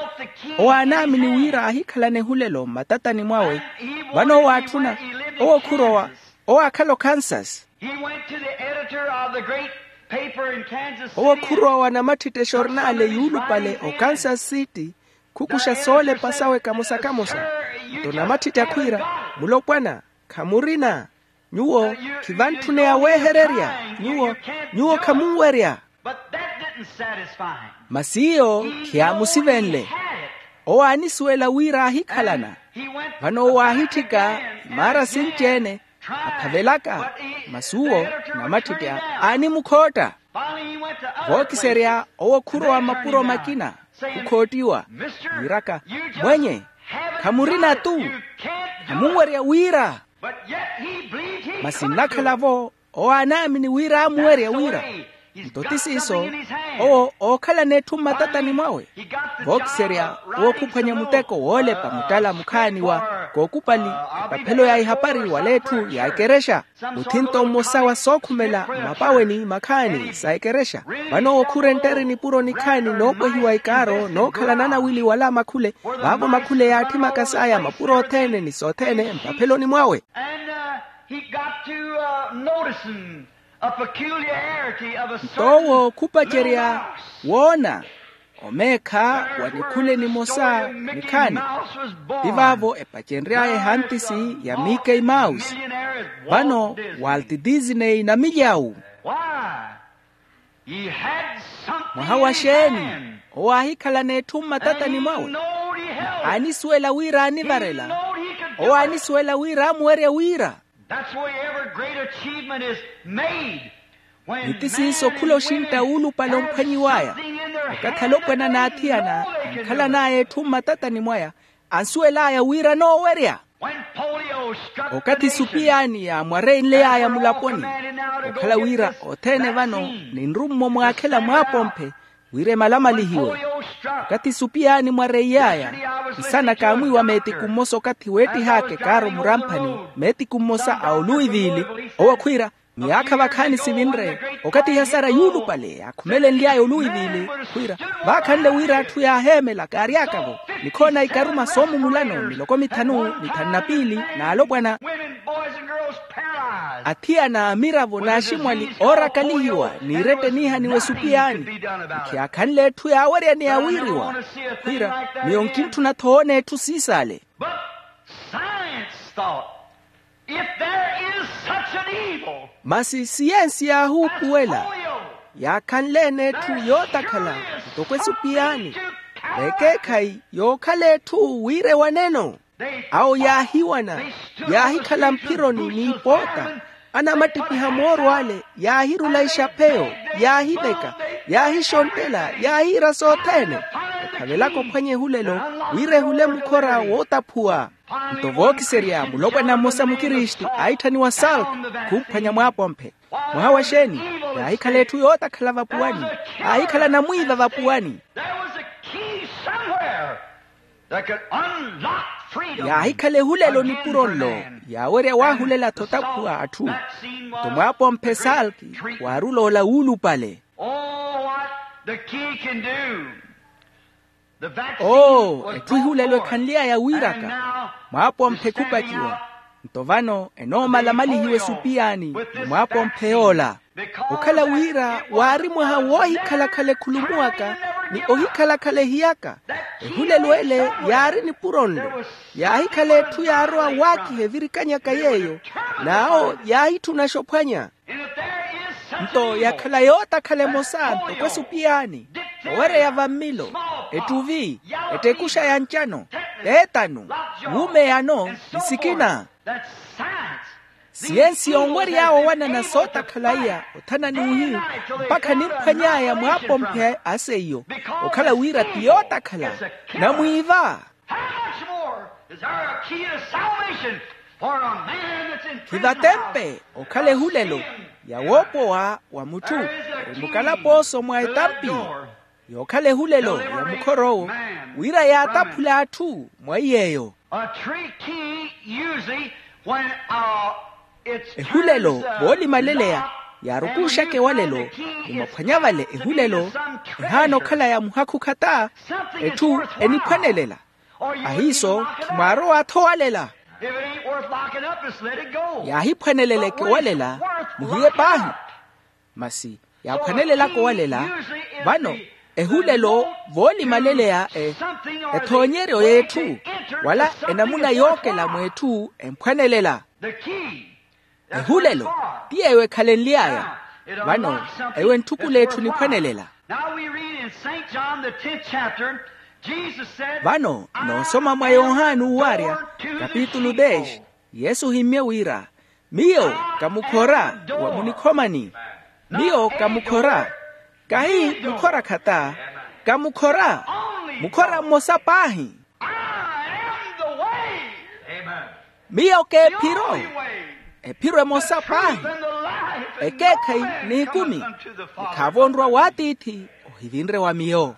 Owo aanaamini wira aahikhalana ehulelo mmatatani mwawe. Vano owo aatthuna, owo khurowa, owo aakhala okansas. He went to the editor of the great Owo khurowa wa namatthitthi exornale yuulupale o kansas city, khukuxa soolepa sawe kamosa-kamosa. Nto namatthitthi akhwiira, mulopwana, khamurina. Nyuwo khivantthuneya weehererya. Nyuwo nyuwo khamunwerya. Masi iyo khiyaamusivenle. Owo aanisuwela wira aahikhalana. Vano owo aahitthika imaara sinci-ene, aphavelaka. Masi uwo namatthitthi aanimukhootta. Vookiserya owo khurowa mapuro makina, khukhoottiwa, wiiraka, mwenye, khamurina-tu. Khamunwerya wira. Masi nnakhala-vo owo aanaamini wira aamuwerya wira. Nto ti siiso, owo ookhalana etthu mmatatani mwawe. Vookiserya owo khuphwanya muteko woolepa muttala mukhaani wa kookupali, epaphelo ya ihapari wala etthu ya ekerexa. Muthinto mmosa wa sookhumela mmapaweni makhaani sa ekerexa. Vano owo khurenttere nipuro nikhaani noopwehiwa ikaaro nookhalana nawili wala makhule. Vaavo makhule yaatthimaka saya mapuro othene ni sothene mpapheloni mwawe. Nto owo khupacerya woona omeekha wa nikhule nimosa nikhaani. Ti vaavo epacenry'aya ehantisi ya miki mausi. Vano walt disney na milyawu. Mwaha wa xeeni? Owo aahikhalana etthu mmatatani mwawe. Aanisuwela wira aanivarela. Owo aanisuwela wira amuwerya wira. Ni ti siiso khula oxintta wuulupale omphwanyiw'aya. Okathi alopwana n'athiyana ankhalan'aya etthu mmatatani mwaya, ansuwel'aya wira anoowerya. Okathi supiyaani yaamwareinley'aya mulaponi, okhala wira othene vano ninru-mmo mwaakhela mwaapomphe wira emalamalihiwe. Okathi supiyaani mwareiy'aya, nsana kaamwiiwa meetiku mmosa okathi weettih'aka ekaaro muramphani, meetiku mmosa a oluiviili. Owo khwiira, miyaakha vakhaani sivinre, okathi ihasara yuulupale yaakhumelenly'aya oluiviili. Khwiira, vaakhanle wira atthu yaaheemela kaary'aka-vo, nikhoona ikaruma soomumulano miloko mithanu mithanu na piili, n'alopwana, athiyana a miravo n'aximwali oorakalihiwa n'iretteniha ni wesupiyaani. Nkhiyaakhanle etthu yaaweryaneya wiiriwa. Khwiira, miyo nkintthuna-tho woona etthu siisaale. Masi siyensi yaahuupuwela, yaakhanle-ene etthu yootakhala ntoko esupiyaani, vekeekhayi yookhala etthu wira ewaneno. Awo yaahiwana, yaahikhala mphironi n'ipoota, anamattipiha mooro ale, yaahirula ixapheyo, yaahiveka, yaahixonttela, yaahiira sothene, okhavelaka ophwanya ehulelo, wira ehule mukhora wootaphuwa. Nto vookiserya mulopwana mmosa mukristu aahitthaniwa salk, khumphwanya mwaapomphe. Mwaha wa xeeni? Yaahikhala etthu yootakhala vapuwani. Aahikhala namwiiva vapuwani. Yaahikhala ehulelo nipuro nlo yaawerya waahulela-tho otaphuwa atthu. Nto mwaapomphe salk waarula ola wuulupale. Oo, etthu ehulelo ekhanly'aya wiiraka. Mwaapomphe khupaciwa. Nto vano enoomalamalihiwa esupiyaani ni mwaapomphe yoola. Okhala wira waari mwaha woohikhalakhala ekhulumuwaka ni ohikhalakhala ehiyaka. Ehulelo ele yaari nipuro nlo. Yaahikhala etthu yaarowa waakiha evirikanyaka yeeyo. N'awo yaahitthuna axophwanya. Nto yakhala yootakhala emosa ntoko esupiyaani, owereya vammilo, ettuvi, ettekuxa ya ncano, teetano, wuumeyano ni sikina. Siyensi yoonwery'awe owanana sootakhala iya othana n'uhiyu, mpakha nimphwany'aya mwaapomphe a seiyo, okhala wira ti yootakhala. Namwiiva. Khivatempe okhala ehulelo ya woopowa wa mutthu ori mukalapooso mwa etampi. Yookhala ehulelo ya mukhor'owo wira yaataphule atthu mwa iy'eyo. Ehulelo voolimaleleya yaarukuxaka ewalelo. Ni mwaphwanya vale ehulelo ehaana okhala ya muhakhu khata. Etthu eniphwanelela. Ahiiso khimwaarowa-tho owalela. Yaahiphwaneleleke owalela, muhiye paahi. Masi Yaaphwanelelaka owalela. Vano ehulelo voolimaleleya ethoonyeryo y'etthu, wala enamuna yookela mw'etthu emphwanelela. Ehulelo ti yeeyo ekhalenly'aya. Vano eyo entthukula etthu niphwanelela. Vano noosoma mwa yohani uwarya kapitulu dez, yesu ohimmye wira, miyo ka mukhora wa munikhomani. Miyo ka mukhora, kahi mukhora khata, ka mukhora, mukhora mmosa paahi. Miyo k'ephiro, ephiro emosa paahi, ekeekhayi n'ikumi. Nikhaavo onrwa w'atiithi ohivinre wa miyo.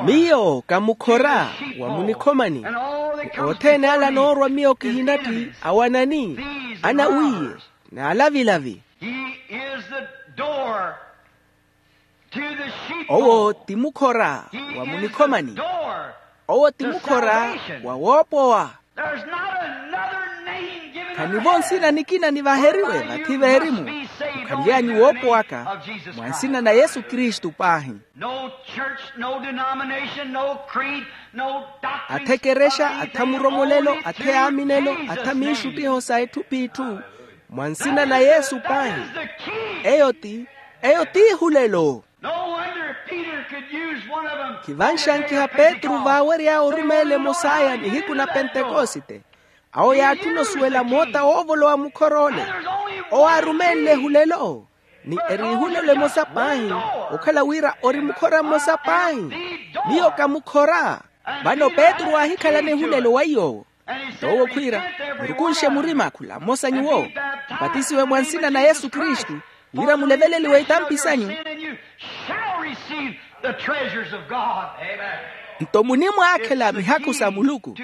Miyo ka mukhora wa munikhomani. Othene ala anoorwa miyo kihinatthi awanani, anawiiye, n'alavilavi. Owo ti mukhora wa munikhomani. Owo ti mukhora wa woopowa. Khanivo nsina nikina nivaheriwe vathi veerimu okhanly'anyu woopowaka, mwa nsina na yesu kristu paahi. Athe ekerexa, atha muromolelo, atha eyaaminelo, atha miixuttiho sa etthu p'itthu, mwa nsina na yesu paahi. Eyo ti, eyo ti ehulelo. Khivanxankiha petru vaawery'awe orumeela emos'aya nihiku na pentekosite. Awo yaatthuna osuwela moota woovolowa mukhora ole. Owo aarumeenle ehulelo, ni eri ehulelo emosa paahi, okhala wira ori mukhora mmosa paahi. Miyo ka mukhora. Vano petru aahikhalana ehulelo wa iy'owo. Nto owo khwiira, murukunxe murima khula mmosa nyuwo, mupatisiwe mwa nsina na yesu kristu, wira muleveleliwe itampi sanyu. Nto munimwaakhela mihakhu sa muluku. Ti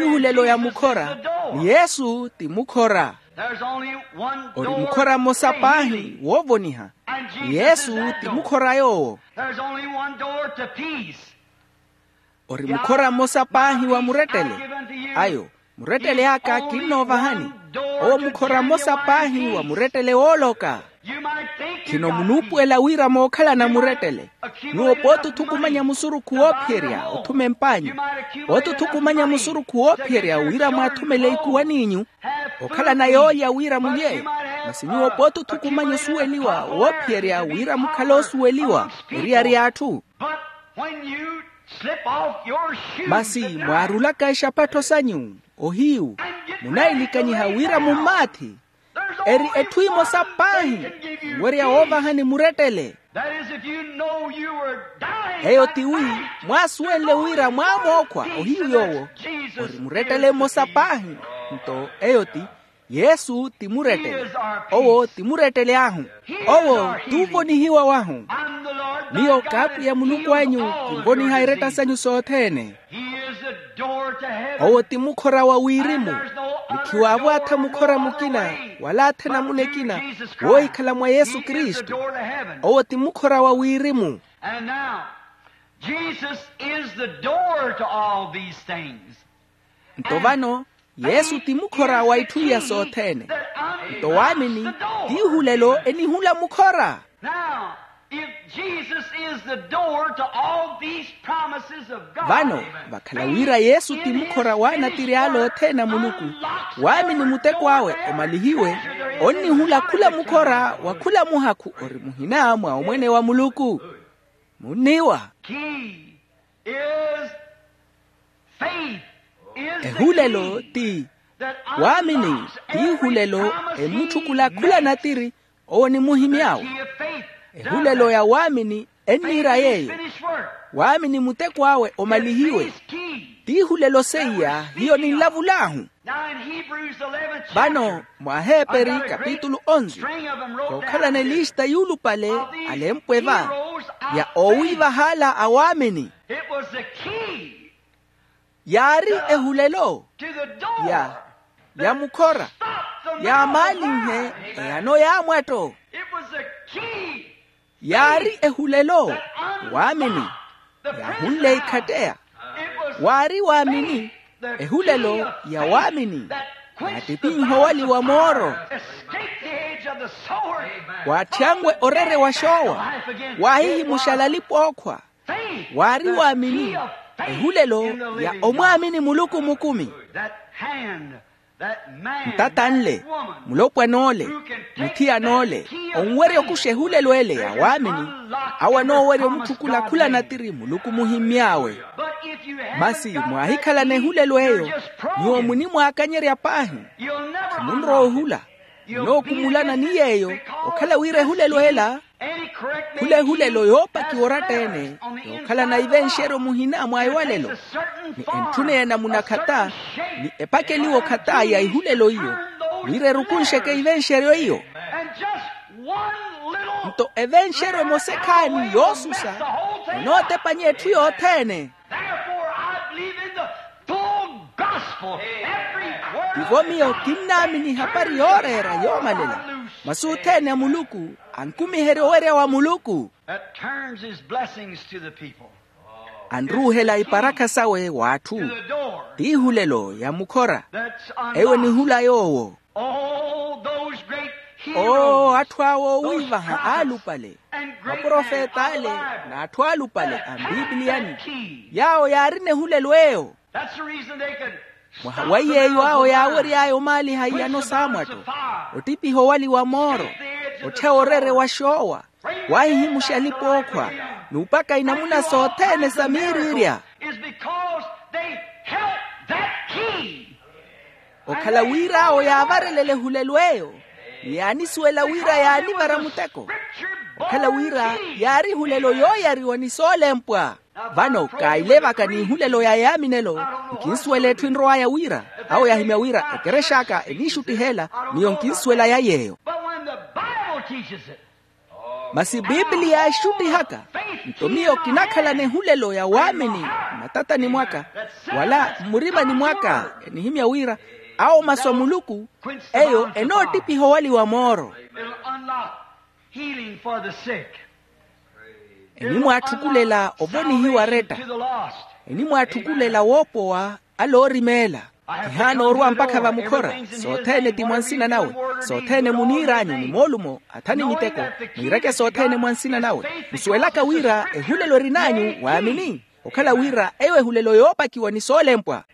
ehulelo ya mukhora, ni yesu ti mukhora. Ori mukhora mmosa paahi woovoniha, ni yesu ti mukhora yoowo. Ori mukhora mmosa paahi wa murettele. Ayo, murettele aka kinnoovahani. Owo mukhora mmosa paahi wa murettele wooloka. Khino munuupuwela wira mookhalana murettele. Nyuwo pooti othukumanya musurukhu woophiyerya othuma emp'anyu. Pooti othukumanya musurukhu woophiyerya wira mwaathumele ikuwan'inyu, okhalana yoolya wira mulye. Masi nyuwo pooti othukumanya osuweliwa woophiyerya wira mukhale osuweliwa eriyari y'atthu. Masi mwaarulaka exapattho sanyu, ohiyu, munailikanyiha wira mummaathi. Eri etthu emosa paahi yowerya woovahani murettele. Eyo tiwi, mwaasuwenle wira mwaamookhwa ohiyu yoowo, ori murettele mmosa paahi. Nto eyo ti, yesu ti murettele. Owo ti murettele ahu. Owo t'uvonihiwa wahu. Miyo k'apwiya muluku anyu, kinvoniha eretta sanyu sothene. Owo ti mukhora wa wirimu. Ni khiwaavo atha mukhora mukina, wala atha enamuna ekina, woohikhala mwa yesu kristu. Owo ti mukhora wa wirimu. Nto vano, yesu ti mukhora wa itthu iya sothene. Nto waamini ti ihulelo enihula mukhora. Vano, vakhala wira yesu ti mukhora w'anattiri ala othene a muluku, waamini muteko awe omalihiwe, onnihula khula mukhora wa khula muhakhu ori muhina mwa omwene wa muluku. Munniiwa. Ehulelo ti, waamini ti ihulelo emutthukula khula natiri. Owo ni muhimy'awe. Ehulelo ya waamini enniira yeeyo. Waamini muteko awe omalihiwe. Ti ihulelo seiya hiyo ninlavul'ahu. Vano mwa aheeperi kapitulu onze, kookhalana elista yuulupale alempwe va, ya oowiivaha ala a waamini. Yaari ehulelo ya ya mukhora, yaamaalinhe eyano y'amwatto. Yaari ehulelo waamini yaahunle ikhatteya. Waari waamini ehulelo ya waamini yaattipiiha owaliwa mooro. Waatthyanwe orere wa xoowa. Waahihimuxala alipa ookhwa. Waari waamini. Ehulelo ya omwaamini muluku mukumi. Ntata nle, mulopwana ole, muthiyana ole, onwerya okuxa ehulelo ele ya waamini. Awo anoowerya omutthukulakhulanatiri muluku muhimmy'awe. Masi mwaahikhalana ehulelo eyo, nyuwo munimwaakanyerya paahi. Munrowa ohula. Munookumulana ni yeeyo, okhala wira ehulelo ela khula ehulelo yoopakiwa oratta-ene, yookhalana ivenxeryo muhina mwa ewalelo. Ni entthuna ya enamuna khata, ni epakeliwa okhata ya ehulelo iyo, wira erukunxeke ivenxeryo iyo. Nto evenxeryo emosa ekhaani yoosusa enootepanya etthu yothene. Therefore I believe in the full gospel. Every word. Ivo miyo kinnaamini ehapari yooreera yoomalela. Masi othene a muluku ankumiherya owerya wa muluku. That turns his blessings to the people. Anruuhela iparakha sawe w'atthu. To the door. T'ihulelo ya mukhora. That's unlocked. Eyo enihula yoowo. All those great heroes, oo atthu awo oowiivaha aalupale, maprofeta ale, n'atthu aalupale a mpipiliyani, yaawo yaarina ehulelo eyo. Mwaha wa yeeyo awo yaawery'aya omaaliha iyano saamwatto, ottipiha owali wa mooro, ottheya orere wa xoowa, waahihimuxa alipa ookhwa, n'upaka inamuna sothene sa miiriirya. Okhala wira awo yaavarelele ehulelo eyo, ni yaanisuwela wira yaanivara muteko. Okhala wira yaari ehulelo yooyariwa ni soolempwa. Vano kaahilevaka n'ihulelo ya yaaminelo, nkinsuwela etthu enrow'aya wira, awo yaahimya wira ekerex'aka eniixuttiha ela, miyo nkinsuwela ya yeeyo. Masi pipiliya yaaxuttihaka, nto miyo kinakhalana ehulelo ya waamini mmatatani mwaka, wala mmurimani mwaka enihimya wira awo masu a muluku, eyo enoottipiha owali wa mooro. Enimwaatthukulela ovonihiwa aretta. Enimwaatthukulela woopowa ale oorimeela. Kihaana orwa mpakha vamukhora. Sothene ti mwa nsina nawe. Sothene muniir'anyu ni moolumo athani miteko, mwiireke sothene mwa nsina nawe, musuwelaka wira ehulelo erin'anyu waamini, okhala wira eyo ehulelo yoopakiwa ni soolempwa.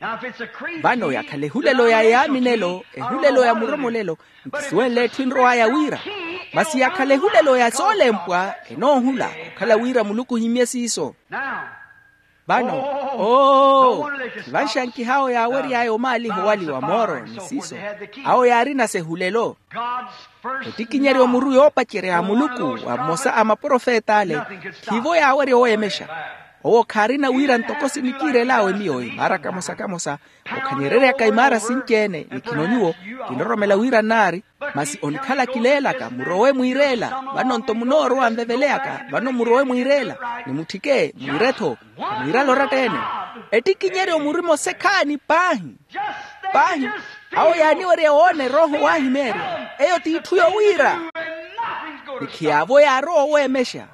Vano yakhala ehulelo ya yaaminelo, ehulelo ya muromolelo, nkisuwenle etthu enrow'aya wira. Masi yakhala ehulelo ya soolempwa, enoohula okhala wira muluku ohimmye siiso. Vano, oo, khivanxankiha awo yaawery'aya omaaliha owali wa mooro ni siiso, awo yaarina sehulelo. Ettikinyeryo muru yoopacerya ya muluku wa mmosa a maprofeta ale, khiivo yaawerya oweemexa. Owo khaarina wira ntoko sinikiirel'awe miyo imaara kamosa kamosa, okhanyereryaka imaara sinci-ene ni khino nyuwo, kinroromela wira nnaari. Masi onikhala kileelaka murowe mwiireela. Vano nto munoorowa nveveleyaka vano murowe mwiireela, ni mutthike mwiire-tho, mwiirale oratta-ene. Ettikinyeryo murima osekhaani paahi. Paahi, awo yaaniwerya woona erooho waahimeerya. Eyo t'itthu yowiira. Ni khiyaavo yaarowa oweemexa.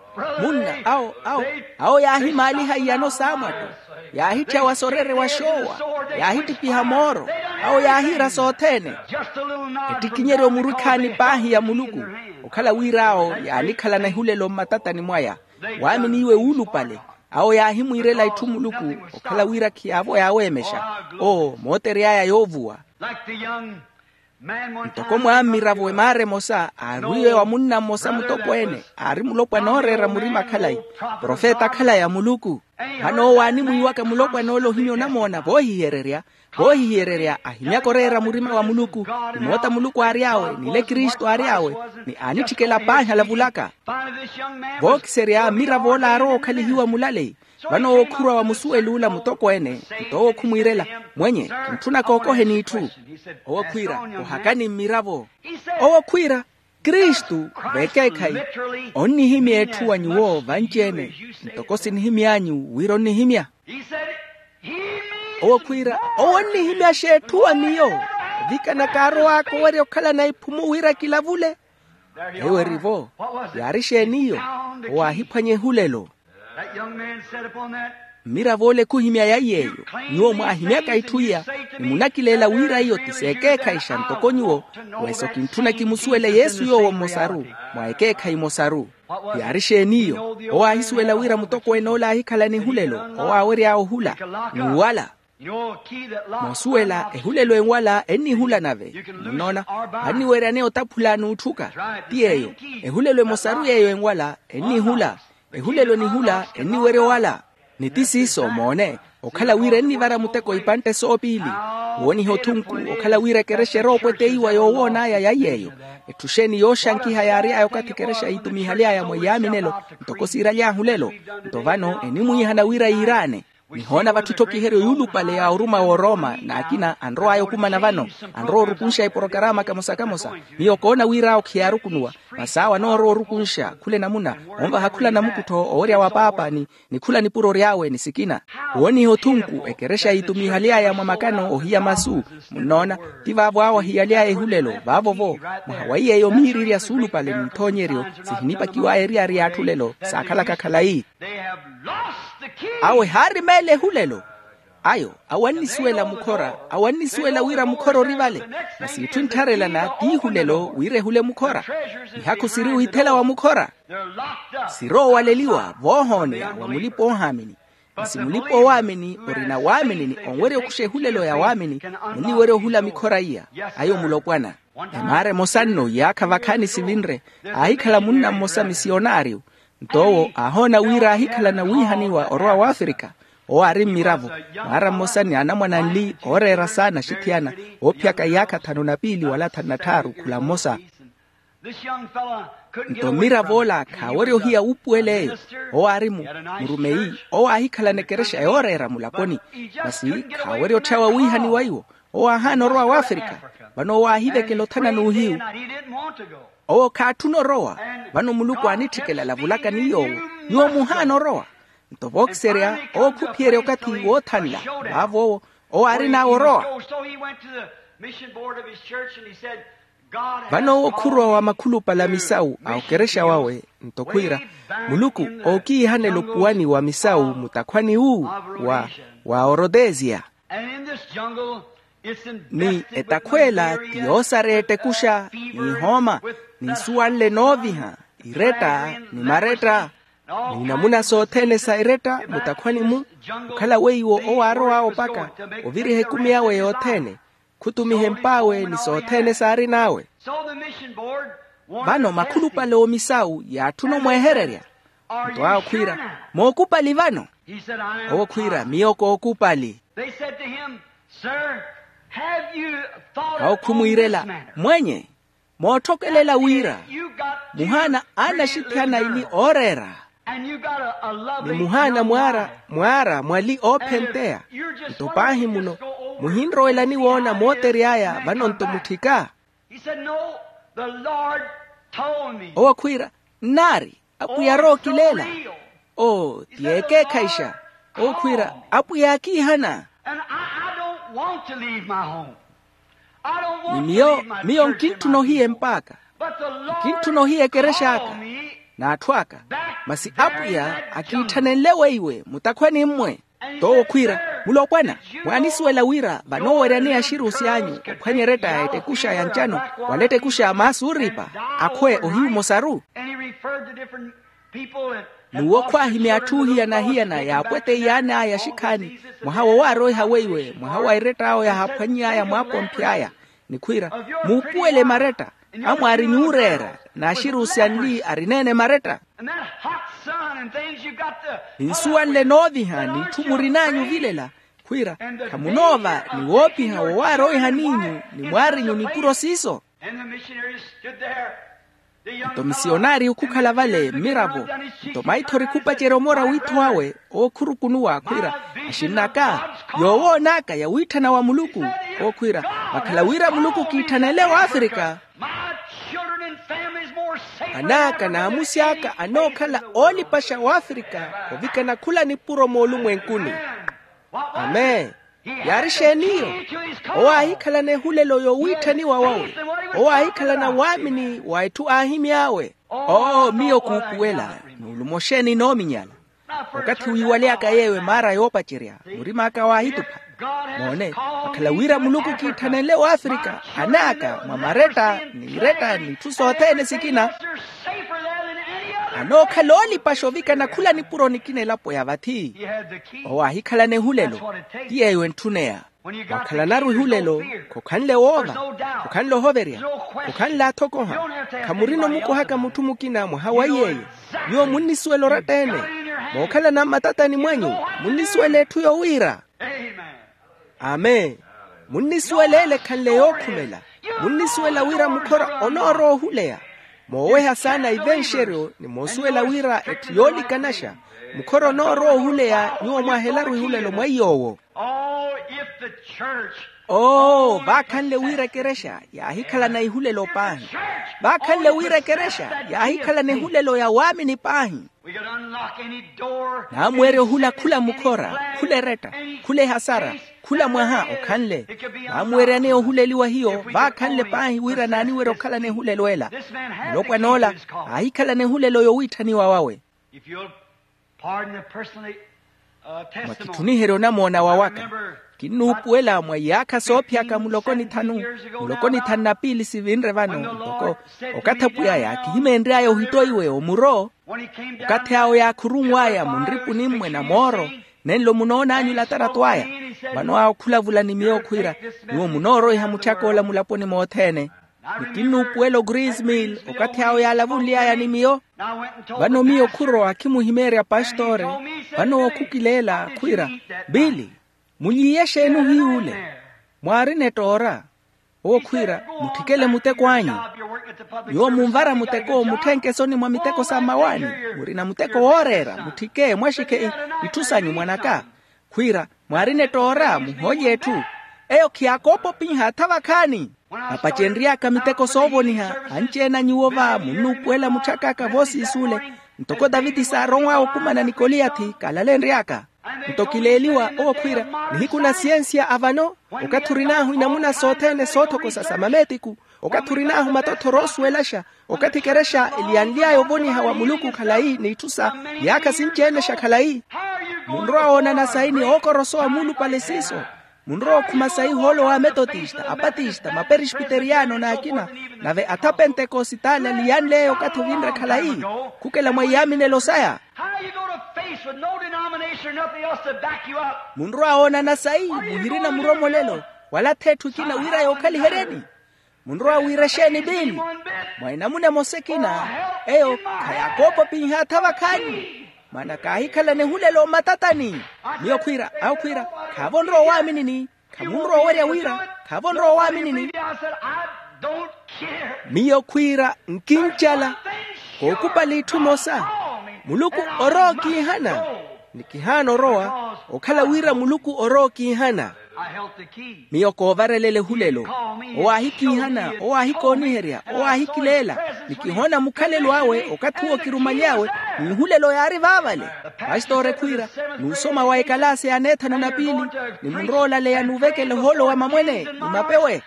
Munna awo awo awo yaahimaaliha iyano saamwatto, yaahitthyawa sorere wa xoowa, yaahittipiha mooro, awo yaahiira sothene. Ettikinyeryo muru ekhaani paahi ya muluku, okhala wira awo yaanikhalana ehulelo mmatatani mwaya. Waaminiiwe wuulupale, awo yaahimwiirela itthu muluku, okhala wira khiyaavo yaaweemexa. Oo mootery'aya yoovuwa. Ntoko mwaammiravo emaara emosa aarwiiwe wa munna mmosa mutokweene, aari mulopwana ooreera murima khalayi, profeta khalayi a muluku. Vano owo aanimwiiwaka mulopwana ole ohimya onamoona voohihererya, voohihererya ahimyaka oreera murima wa muluku, ni moota muluku aary'awe n'ile kristu aary'awe, ni aanitthikela paahi alavulaka. Vookiserya mmiravo ole aarowa okhalihiwa mulale. Vano owo khurwa wa musuwel'ula mutokweene, nto owo khumwiirela, mwenye, kintthuna kookoheni itthu. Owo khwiira, ohakani mmiravo. Owo khwiira, kristu, vekeekhayi, onnihimya etthu wa nyuwo vanci-ene, ntoko sinihimy'anyu wira onnihimya. Owo khwiira, owo onnihimyaxa etthu wa miyo, ovikana kaarow'aka owerya okhalana iphumu wira kilavule. Eyo erivo, yaari exeeni iyo? Owo aahiphwanya ehulelo. That young man said upon that, Mmirav'ole khuhimya yaiy'eyo. Nyuwo mwaahimyaka itthu iya, ni munakileela wira iyo ti s'ekeekhayi xa ntoko nyuwo. Weso kintthuna kimusuwele yesu yoowo mmosaru, mwa ekeekhayi emosaru. Yaari exeen'iyo? Owo aahisuwela wira mutokweene ole aahikhala n'ehulelo, owo aawery'awe ohula, n'uwala. Moosuwela, ehulelo enwala ennihula nave. Munnoona, vanniweryaneya otaphula n'utthuka. Ti yeeyo. Ehulelo emosaru yeeyo enwala ennihula. Ehulelo nihula enniwerya owala. Ni ti siiso moone, okhala wira ennivara muteko ipantte soopiili. Wooniha othunku, okhala wira ekerexa eroopweteiwa yoowoon'aya yaiy'eyo. Etthu exeeni yooxankiha yaary'aya okathi ekerexa yiitumihaly'aya mwa iyaaminelo, ntoko siiraly'ahu lelo. Nto vano enimwiihana wira yiiraane. Nihoona vatthu etthokiheryo yuulupale ya oruma w'orooma n'akina anrow'aya okumana vano, anrowa orukunxa eporokarama kamosa-kamosa. Miyo koona wir'awo khiyaarukunuwa. Masi awo anoorowa orukunxa khula enamuna, onvaha khula namukuttho owerya wa paapa ni, ni khula nipuro ry'awe ni sikina. Wooniha othunku ekerexa yiitumihaly'aya mwa makano ohiya masu. Munnoona, ti vaavo awo ahiyaly'aya ehulelo vaavo-vo. Mwaha wa iy'eyo miirirya suulupale n'ithoonyeryo sihinipakiw'aya eryari y'atthu lelo saakhalaka khalayi. Awo ehaari meele ehulelo. Ayo, awo annisuwela mukhora, awo annisuwela wira mukhora ori vale. Masi itthu enttharelana t'ihulelo wira ehule mukhora. Mihakhu siri withela wa mukhora. Siroowaleliwa voohooneya wa mulipa oohaamini. Masi mulipa oowaamini orina waamini ni onwerya okuxa ehulelo ya waamini, muniwerya ohula mikhora iya. Ayo mulopwana. Emaara emosa nno iyaakha vakhaani sivinre, aahikhala munna mmosa misiyonaariyo. Nto owo aahoona wira aahikhalana wiihaniwa orowa w'afrika. Owo aari mmiravo, mwaara mmosa ni anamwane anli ooreera saana axithiyana, oophiyaka iyaakha thanu na piili wala thanu na tthaaru khula mmosa. Nto mmirav'ola khaawerya ohiya wuupuwel'eyo. Owo aari mu, murumeyi owo aahikhalana ekerexa yooreera mulaponi. Masi khaawerya otthyawa wiihaniwa iwo. Owo aahaana orowa w'afrika. Vano owo aahivekela othana n'uhiyu. Owo khaatthuna orowa. Vano muluku aanitthikela alavulaka ni yoowo, nyuwo muhaana orowa. Nto vookiserya owo khuphiyerya okathi woothanla. Vaavo owo, owo aarin'awe orowa. Vano owo khurowa wa makhulupale a misawu a okerexa wawe, nto khwiira, muluku ookiihanela opuwani wa misawu mutakhwani wu wa, wa orotesia. Ni etakhw'ela ti yoosareya ettekuxa, n'ihooma, ni nsuwanle nooviha, iretta, ni maretta, ni namuna sothene sa eretta mutakhwani-mu. Okhala weiwo owo aarow'awe opaka oviriha ekumi awe yothene, khutumiha emp'awe ni sothene saarin'awe. Vano makhulupale oomisawu yaatthuna omwehererya. Nto awo khwiira, mookupali vano? Owo khwiira, miyo kookupali. Awo khumwiirela, mwenye, mootthokelela wira muhaana aana axithiyana aili ooreera, ni muhaana mwaara mwaali oophenteya. Nto paahi muno muhinrowelani woona mootery'aya vano nto mutthika. Owo khwiira, nnaari, apwiya arookileela. Oo, ti ekeekhayixa. Owo khwiira, apwiya aakiihana. Ni miyo, miyo nkintthuna ohiya emp'aka, nkintthuna ohiya ekerexa aka, n'atthu aka. Masi apwiya akiitthanenle weiwe mutakhwani-mmwe. T'owo khwiira, mulopwana, mwaanisuwela wira vanooweryaneya axirusi anyu ophwanya eretta ya ettekuxa ya ncano wala ettekuxa ya maasi ooripa, akhwe ohiyu mmosaru. N'uwo khwaahimya atthu ohiyana-hiyana yaapweteiyan'aya axikhaani, mwaha wowaaroiha weiwe mwaha wa eretta awo yaahaphwany'aya mwaapomphi aya. Ni khwiira, muupuwele maretta amwaari nyuureera, n'axirusi anli arineene maretta. Ni nsuwanle nooviha n'itthu murin'anyu ovilela, khwiira, khamunoova ni woopiha wowaaroihan'inyu ni mwaarinyu nipuro siiso. Nto misiyonari okhukhala vale mmiravo, nto maithori khupacerya omora witho awe, owo khurukunuwa khwiira, axinn'aka, yoowoon'aka yawiitthana wa muluku. Owo khwiira, vakhala wira muluku kiitthanenle w'afrika, an'aka n'amusi aka anookhala oolipaxa w'afrika ovikana khula nipuro moolumwenkuni. Amen. Yaari exeen'iyo? Owo aahikhalana ehulelo yowiitthaniwa wawe. Owo aahikhalana waamini wa etthu aahimy'awe. Oo miyo kuupuwela, nuulumo xeeni noominyala? Okathi wiiwaly'aka yeeyo emaara yoopacerya, murim'aka waahitupha. Moone, akhala wira muluku kiithanenle w'afrika, anaaka mwa maretta n'iretta n'itthu sothene sikina, anookhala oolipaxa ovikana khula nipuro nikina elapo ya vathi. Owo aahikhalana ehulelo. Ti yeeyo entthuneya. Mwakhalanaru ehulelo, khokhanle woova, khokhanle ohoverya, khokhanle athokoha. Khamurina omukohaka mutthu mukina mwaha wa iyeeyo. Nyuwo munnisuwela oratta-ene. Mookhalana mmatatani mwanyu, munnisuwela etthu yowiira. Amen. Munnisuwela ele ekhanle yookhumela. Munnisuwela wira mukhora onoorowa ohuleya. Mooweha saana ivenxeryo ni moosuwela wira etthu yoolikanaxa. Mukhora onoorowa ohuleya nyuwo mwaahelaru ehulelo mwa iy'owo. Oo, vaakhanle wira ekerexa yaahikhalana ehulelo paahi. Vaakhanle wira ekerexa yaahikhalana ehulelo ya waamini paahi. Naamweerya ohula khula mukhora, khula eretta, khula ehasara, khula mwaha okhanle. Naamuweryaneya ohuleliwa hiyo vaakhanle paahi wira naaniwerya okhalana ehulelo ela. Mulopwan'ola aahikhalana ehulelo yowiitthaniwa wawe. Mwakitthuniherya onamoona wawaka. Kinnuupuwela mwa iyaakha soophiyaka muloko ni thanu, muloko ni thanu na piili sivinre vano ntoko okathi apwiy'aya kihimeenry'aya ohittoiwe omuro. Okathi awo yaakhurunw'aya munripuni mmwe na mooro. Nenlo munoon'anyu olatarato aya. Vano awo khulavula ni miyo khwiira, nyuwo munooroiha mutthak'ola mulaponi mothene. Ni kinnuupuwela ogrismil okathi awo yaalavunly'aya ni miyo. Vano miyo khurowa khimuhimeerya pastore. Vano owo khukileela khwiira, biili, mulyiye exeeni ohiy'ule? Mwaarina ettoora. Owo khwiira, mutthikele muteko anyu. Nyuwo munvara muteko mutthenke esoni mwa miteko sa mmawaani. Murina muteko wooreera mutthike mwaxikhe itthu sanyu mwanaka. Khwiira, mwaarina ettoora muhoolye etthu. Eyo khiyaakoopa opinha atha vakhaani. Apacenry'aka miteko soovoniha, anci-ene anyu wova munnuupuwela mutthak'aka voosiisuule. Ntoko taviti saaronw'awe okumana ni koliyathi kaalalenry'aka. Nto kileeliwa owo khwiira, nihiku na siyensiya avano. Okathi orin'ahu inamuna sothene soothokosa sa mameetiku, okathi orin'ahu matothoro oosuwelaxa, okathi ekerexa eliyanly'aya ovoniha wa muluku khalayi n'itthu sa iyaakha sinci-ene xa khalayi. Munrowa woonana sayi ni ookorosowa muulupale siiso. Munrowa okhuma sayi ohoolo wa ametotista, apatista, maperespiteriyano n'akina, nave atha apentekositali aliyanly'eya okathi ovinre khalayi. Khukela mwa iyaaminelo saya. Munrowa woonana sayi muhirina muromolelo wala ath'etthu ekina wira yookhaliheryeni. Munrowa wiira exeeni biili? Mwa enamuna emosa ekina, eyo khayaakoopa opinha atha vakhaani. Maana kaahikhalana ehulelo mmatatani. Miyo khwiira awo khwiira, khaavo onrowa owaaminini. Khamunrowa owerya wira khaavo onrowa owaaminini. Miyo khwiira nkincala. Kookupali itthu emosa. Muluku orowa okiihana. Ni kihaana orowa okhala wira muluku orowa okiihana. Miyo koovarelela ehulelo. Owo aahikiihana, owo aahikooniherya, owo aahikileela. Ni kihoona mukhalelo awe okathi uwo kirumaly'awe. N'ihulelo yaari vaavale. Pastori khwiira, n'usoma wa ekalaasi ya neethanu na piili, ni munrowa olaleya n'uvekela ohoolo wa mamwene ni mapewe.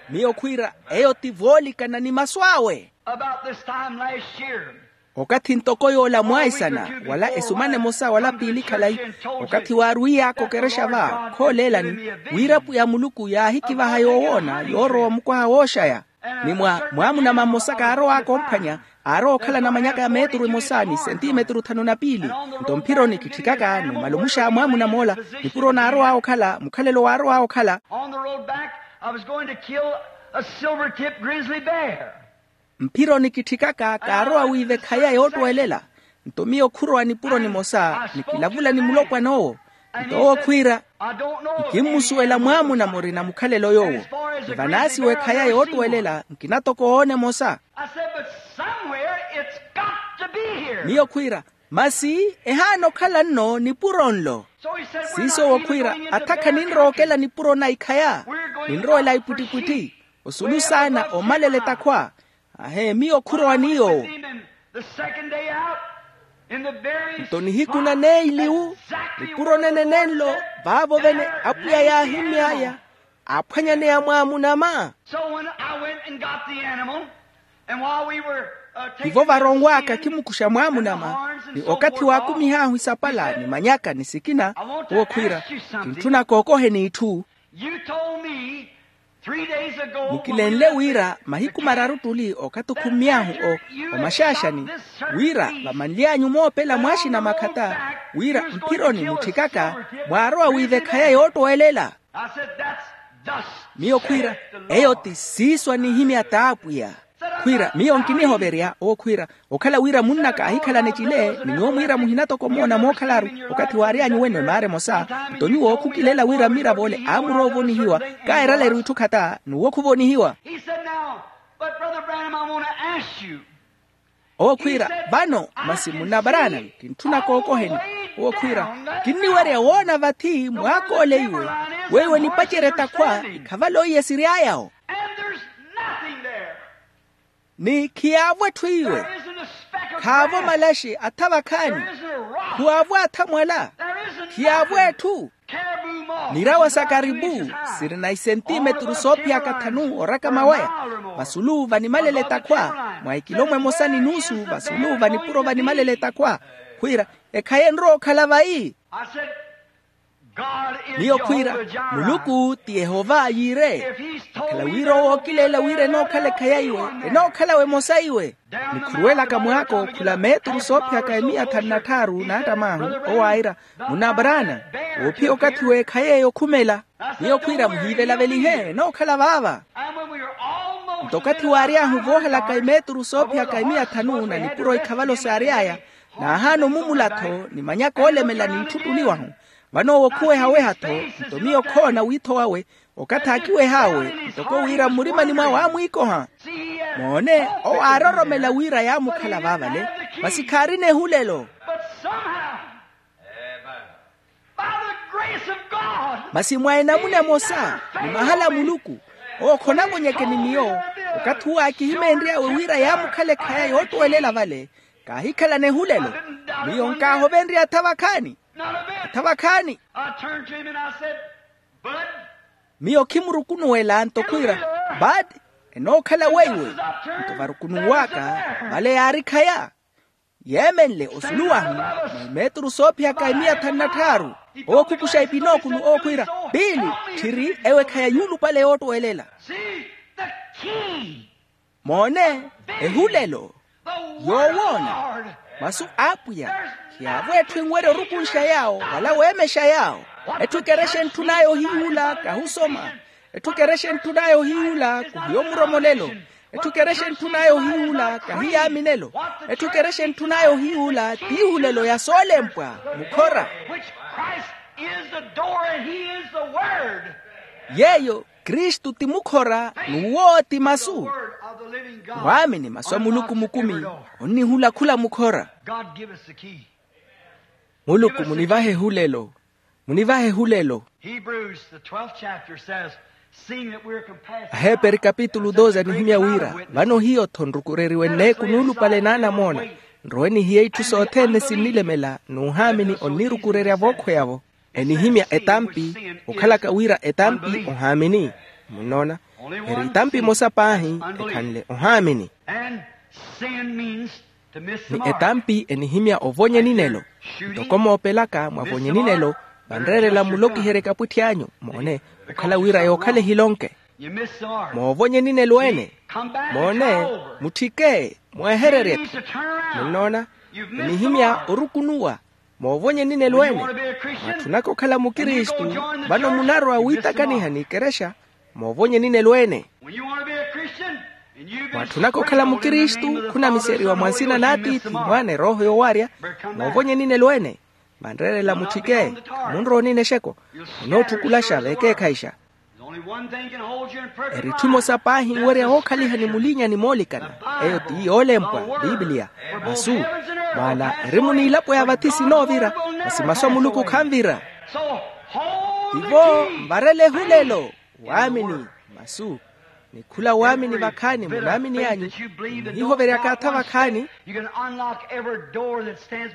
Miyo khwiira, eyo ti voolikana ni masu awe. Okathi ntoko yoola mwaisana wala esumana emosa wala piili khalayi. Okathi waarwiyaaka okerexa va khooleelani, wira pwiya muluku yaahikivaha yoowoona yoorowa omukwaha wooxaya. Ni mwa mwaamunama mmosa kaarow'aka omphwanya, aarowa okhala namanyaka ya meeturu emosa ni sentimeturu thanu na piili. Nto mphironi kitthikaka numala omuxa mwaamunam'ola, nipuro naarow'awe okhala mukhalelo waarow'awe okhala. On the road back, I was going to kill a silver-tipped grizzly bear. Mphironi kitthikaka kaarowa wiive khaya yoottwelela. Nto miyo khurowa nipuro nimosa ni kilavula ni mulopwan'owo. Nto owo khwiira, nkimmusuwela mwaamuna murina mukhalelo yoowo. Ni vanaasiwa ekhaya yoottwelela nkina toko oona emosa. Miyo khwiira, masi ehaana okhala nno nipuro nlo. Siiso owo khwiira, atha khaninrowa okela nipuro na ikhaya. Ninrowela ipwittipwitthi osulu saana omalela etakhwa. Ahe miyo khurowa ni yoowo. Nto nihiku na neiliwu, nipuro nene nenlo vaavo vene apwiya yaahimy'aya, aaphwanyaneya mwaamunama. So when I went and got the animal, and while we were Tivo varonw'aka kimukuxa mwaamunama, ni okathi waakumih'ahu isapala ni manyaka ni sikina. Owo khwiira, kintthuna kookoheni itthu. Mukilenle wira mahiku mararu ttuli okathi okhummy'ahu o omaxaaxani, wira vamanly'anyu moopela mwaaxina makhata, wira mphironi mutthikaka mwaarowa wiiva ekhaya yoottwelela. Miyo khwiira, eyo ti siiso anihimya t'apwiya. Khwiira, miyo nkinihoverya owo khwiira, okhala wira munnaka aahikhalana ecile ni nyuwo mwiira muhina toko moona mookhalaru. Okathi waary'anyu wene maara emosa, nto nyuwo khukilela wira mmiravo ole aamurowa ovonihiwa, kaeraleru itthu khata n'uwo khuvonihiwa. Owo khwiira, vano masi munna Branham, kintthuna kookoheni. Owo khwiira, kinniwerya woona vathi mwaak'ole iwe weiwo nipacerye etakhwa ikhavale oiye siry'aya-wo. Ni khiyaavo etthu iwe. Khaavo malaxi atha vakhaani. Khuwaavo atha mwala. Khiyaavo etthu. Nirawa sa karipu sirina isentimeturu soophiyaka thanu orakama waya, vasulu vanimalela etakhwa mwa ekilomwa emosa ni nuusu, vasulu vanipuro vanimalela etakhwa. Khwiira, ekhaya enrowa okhala vayi. Miyo khwiira, muluku ti yehova yiire. Akhala wira owo ookileela wira enookhala ekhaya iwe, enookhala-we emosa iwe. Nikhuruwelaka mwaako khula meeturu soophiyaka emiya thanu na tthaaru naattamahu. Owo aayira, munna abraana, woophiya okathi w'ekhaya eyo okhumela. Miyo khwiira, muhiivelavelihe enookhala vaava. Nto okathi waary'ahu voohalaka emeeturu soophiyaka emiya thanu na nipuro ikhavalo saary'aya, naahaana omumula-tho ni manyaka oolemela n'itthu ottuli wahu. Vano owo khuwehaweha-tho, nto miyo khoona wiitho wawe, okathi aakiweh'awe ntoko wira mmurimani mwawe aamwiikoha. Moone, owo aaroromela wira yaamukhala vaavale, masi khaarina ehulelo. Masi mwa enamuna emosa ni mahala a muluku, owo khonavonyeke ni miyo. Okathi uwo aakihimeenry'awe wira yaamukhala ekhaya yoottwelela vale, kaahikhalana ehulelo. Miyo nkaahovenrye atha vakhaani. Atha vakhaani. Miyo khimurukunuwela nto khwiira, bad, enookhala weiwe. Nto varukunuw'aka, vale yaari khaya yeemenle osulu wahu, mwa emeeturu soophiyaka emiya thanu na tthaaru. Owo khukuxa epinookulu owo khwiira, piili, tthiri ewe khaya yuulupale yoottwelela. Moone, ehulelo, yoowoona, masu a apwiya. Khiyaavo etthu enwerya orukunxa yaawo wala weemexa yaawo. Etthu ekerexa entthun'aya ohiihula kahusoma. Etthu ekerexa entthun'aya ohiihula khuhiya omuromolelo. Etthu ekerexa entthun'aya ohiihula kahiya minelo. Etthu ekerexa entthun'aya ohiihula t'ihulelo ya soolempwa mukhora. Which Christ is the door and he is the word. Yeeyo kristu ti mukhora n'uwo ti masu. Waamini masu a muluku mukumi onnihula khula mukhora. God give us the key. Muluku munivahe ehulelo. Munivahe ehulelo. Hebrews, the twelfth chapter says, seeing that we're compassed. Aheperi kapitulu doze anihimya wira vano hiyo-tho nrukureriwe nneeku nuulupale n'anamoona. Nrowe nihiye itthu sothene sinnilemela n'uhaamini onnirukurerya vookhweyavo. Enihimya etampi okhalaka wira etampi ohaamini. Munnoona? Eri etampi emosa paahi ekhanle ohaamini. Ni etampi enihimya ovonya eninelo. Ntoko moopelaka mwavonya eninelo, vanreerela mmulokiherye kapwitthi anyu moone, okhala wira yookhala ehilonke. Moovonya eninelo ene. Moone, mutthike mweehererye-tho. Munnoona? Enihimya orukunuwa. Moovonya eninelo ene. Mwaatthunaka okhala mukristu, vano munarowa wiitakaniha n'ikerexa. Moovonya eninelo ene. Mwaatthunaka okhala mukristu khunamiseriwa mwa nsina n'atiithi mwaana erooho yoowarya. Moovonya eninelo ene. Vanreerela mutthike. Munrowa onina exeko. Onootthukulasha veekeekhayixa. Eri itthu emosa paahi enwerya wookhaliha ni mulinya ni moolikana. Eyo ti yoolempwa piipiliya. Masu maana eri muniilapo ya vathi sinoovira. Masi masu a muluku khanvira. Tivo nvarele ehulelo. Waamini. Masu ni khula waamini vakhaani munaamini anyu. Muhiihoveryaka atha vakhaani.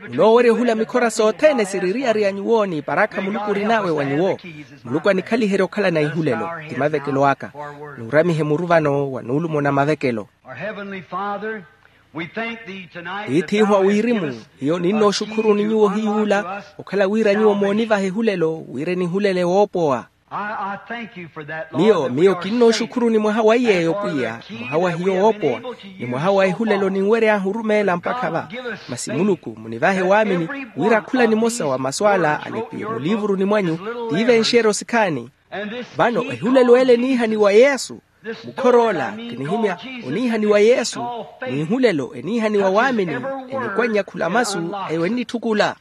Munoowerya ohula mikhora sothene siririariya nyuwo ni parakha muluku orin'awe wa nyuwo. Muluku anikhaliherye okhalana ihulelo. Ti mavekelo aka. Nuuramihe muru vano wa nuulumona mavekelo. Our Heavenly Father, Tiith'ihu a wirimu, hiyo ninnooxukhuruni nyuwo hiy'ula okhala wira nyuwo moonivaha ehulelo wira enihulele woopowa. Miyo miyo kinnooxukhuruni mwaha wa iy'eyo pwiya, mwaha wa hiyo woopowa, ni mwaha wa ehulelo ninwery'ahu orumeela mpakha va. Masi muluku munivahe waamini wira khula nimosa wa masu ala alepiwe muliivuruni mwanyu, tiivenxeryo sikhaani. Vano ehulelo ele eniihaniwa yesu. Mukhor'ola kinihimya oniihaniwa yesu, n'ihulelo eniihaniwa waamini. Enikwannya khula masu eyo ennitthukula.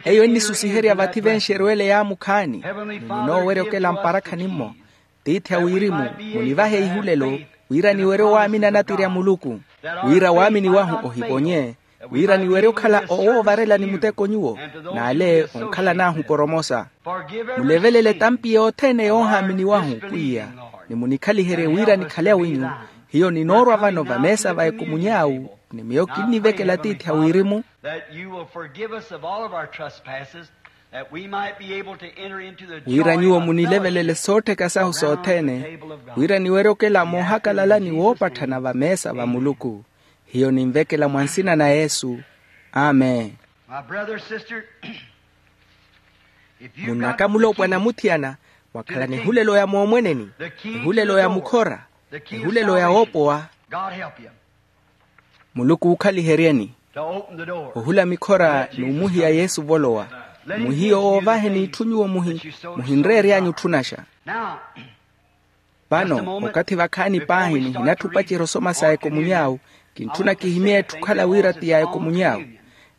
Eyo ennisusiheriya vathi venxeryo ele yaamukhaani. Ni ninoowerya okela mparakhani-mmo. Tiithi a wirimu, munivahe ihulelo wira niwerye owaamini anatirya muluku, wira waamini wahu ohivonye, wira niwerye okhala owoovarelani muteko nyuwo, n'ale onkhalan'ahu poromosa. Mulevelele etampi yothene yoohaaminiwahu pwiya, ni munikhaliherye wira nikhale awinyu. Hiyo ninoorwa vano vameesa va ekomuny'awu, ni miyo kinnivekela tiithi a wirimu, wira nyuwo munilevelele soottheka sahu sothene, wira niwerye okela moohakalalani woopatthana vameesa va muluku. Hiyo ninvekela mwa nsina na yesu. Amen. Munnaka muloopwana muthiyana, mwakhalana ehulelo ya moomweneni, ehulelo ya mukhora, ehulelo ya woopowa. Muluku ookhaliheryeni. Ohula mikhora n'umuhiya yesu ovolowa. Muhiyo oovaheni itthu nyuwo muhinreery'anyu otthunaxa. Vano okathi vakhaani paahi nihinatthi opacerya osoma sa ekomuny'awu. Kintthuna kihimye etthu okhala wira ti ya ekomuny'awu.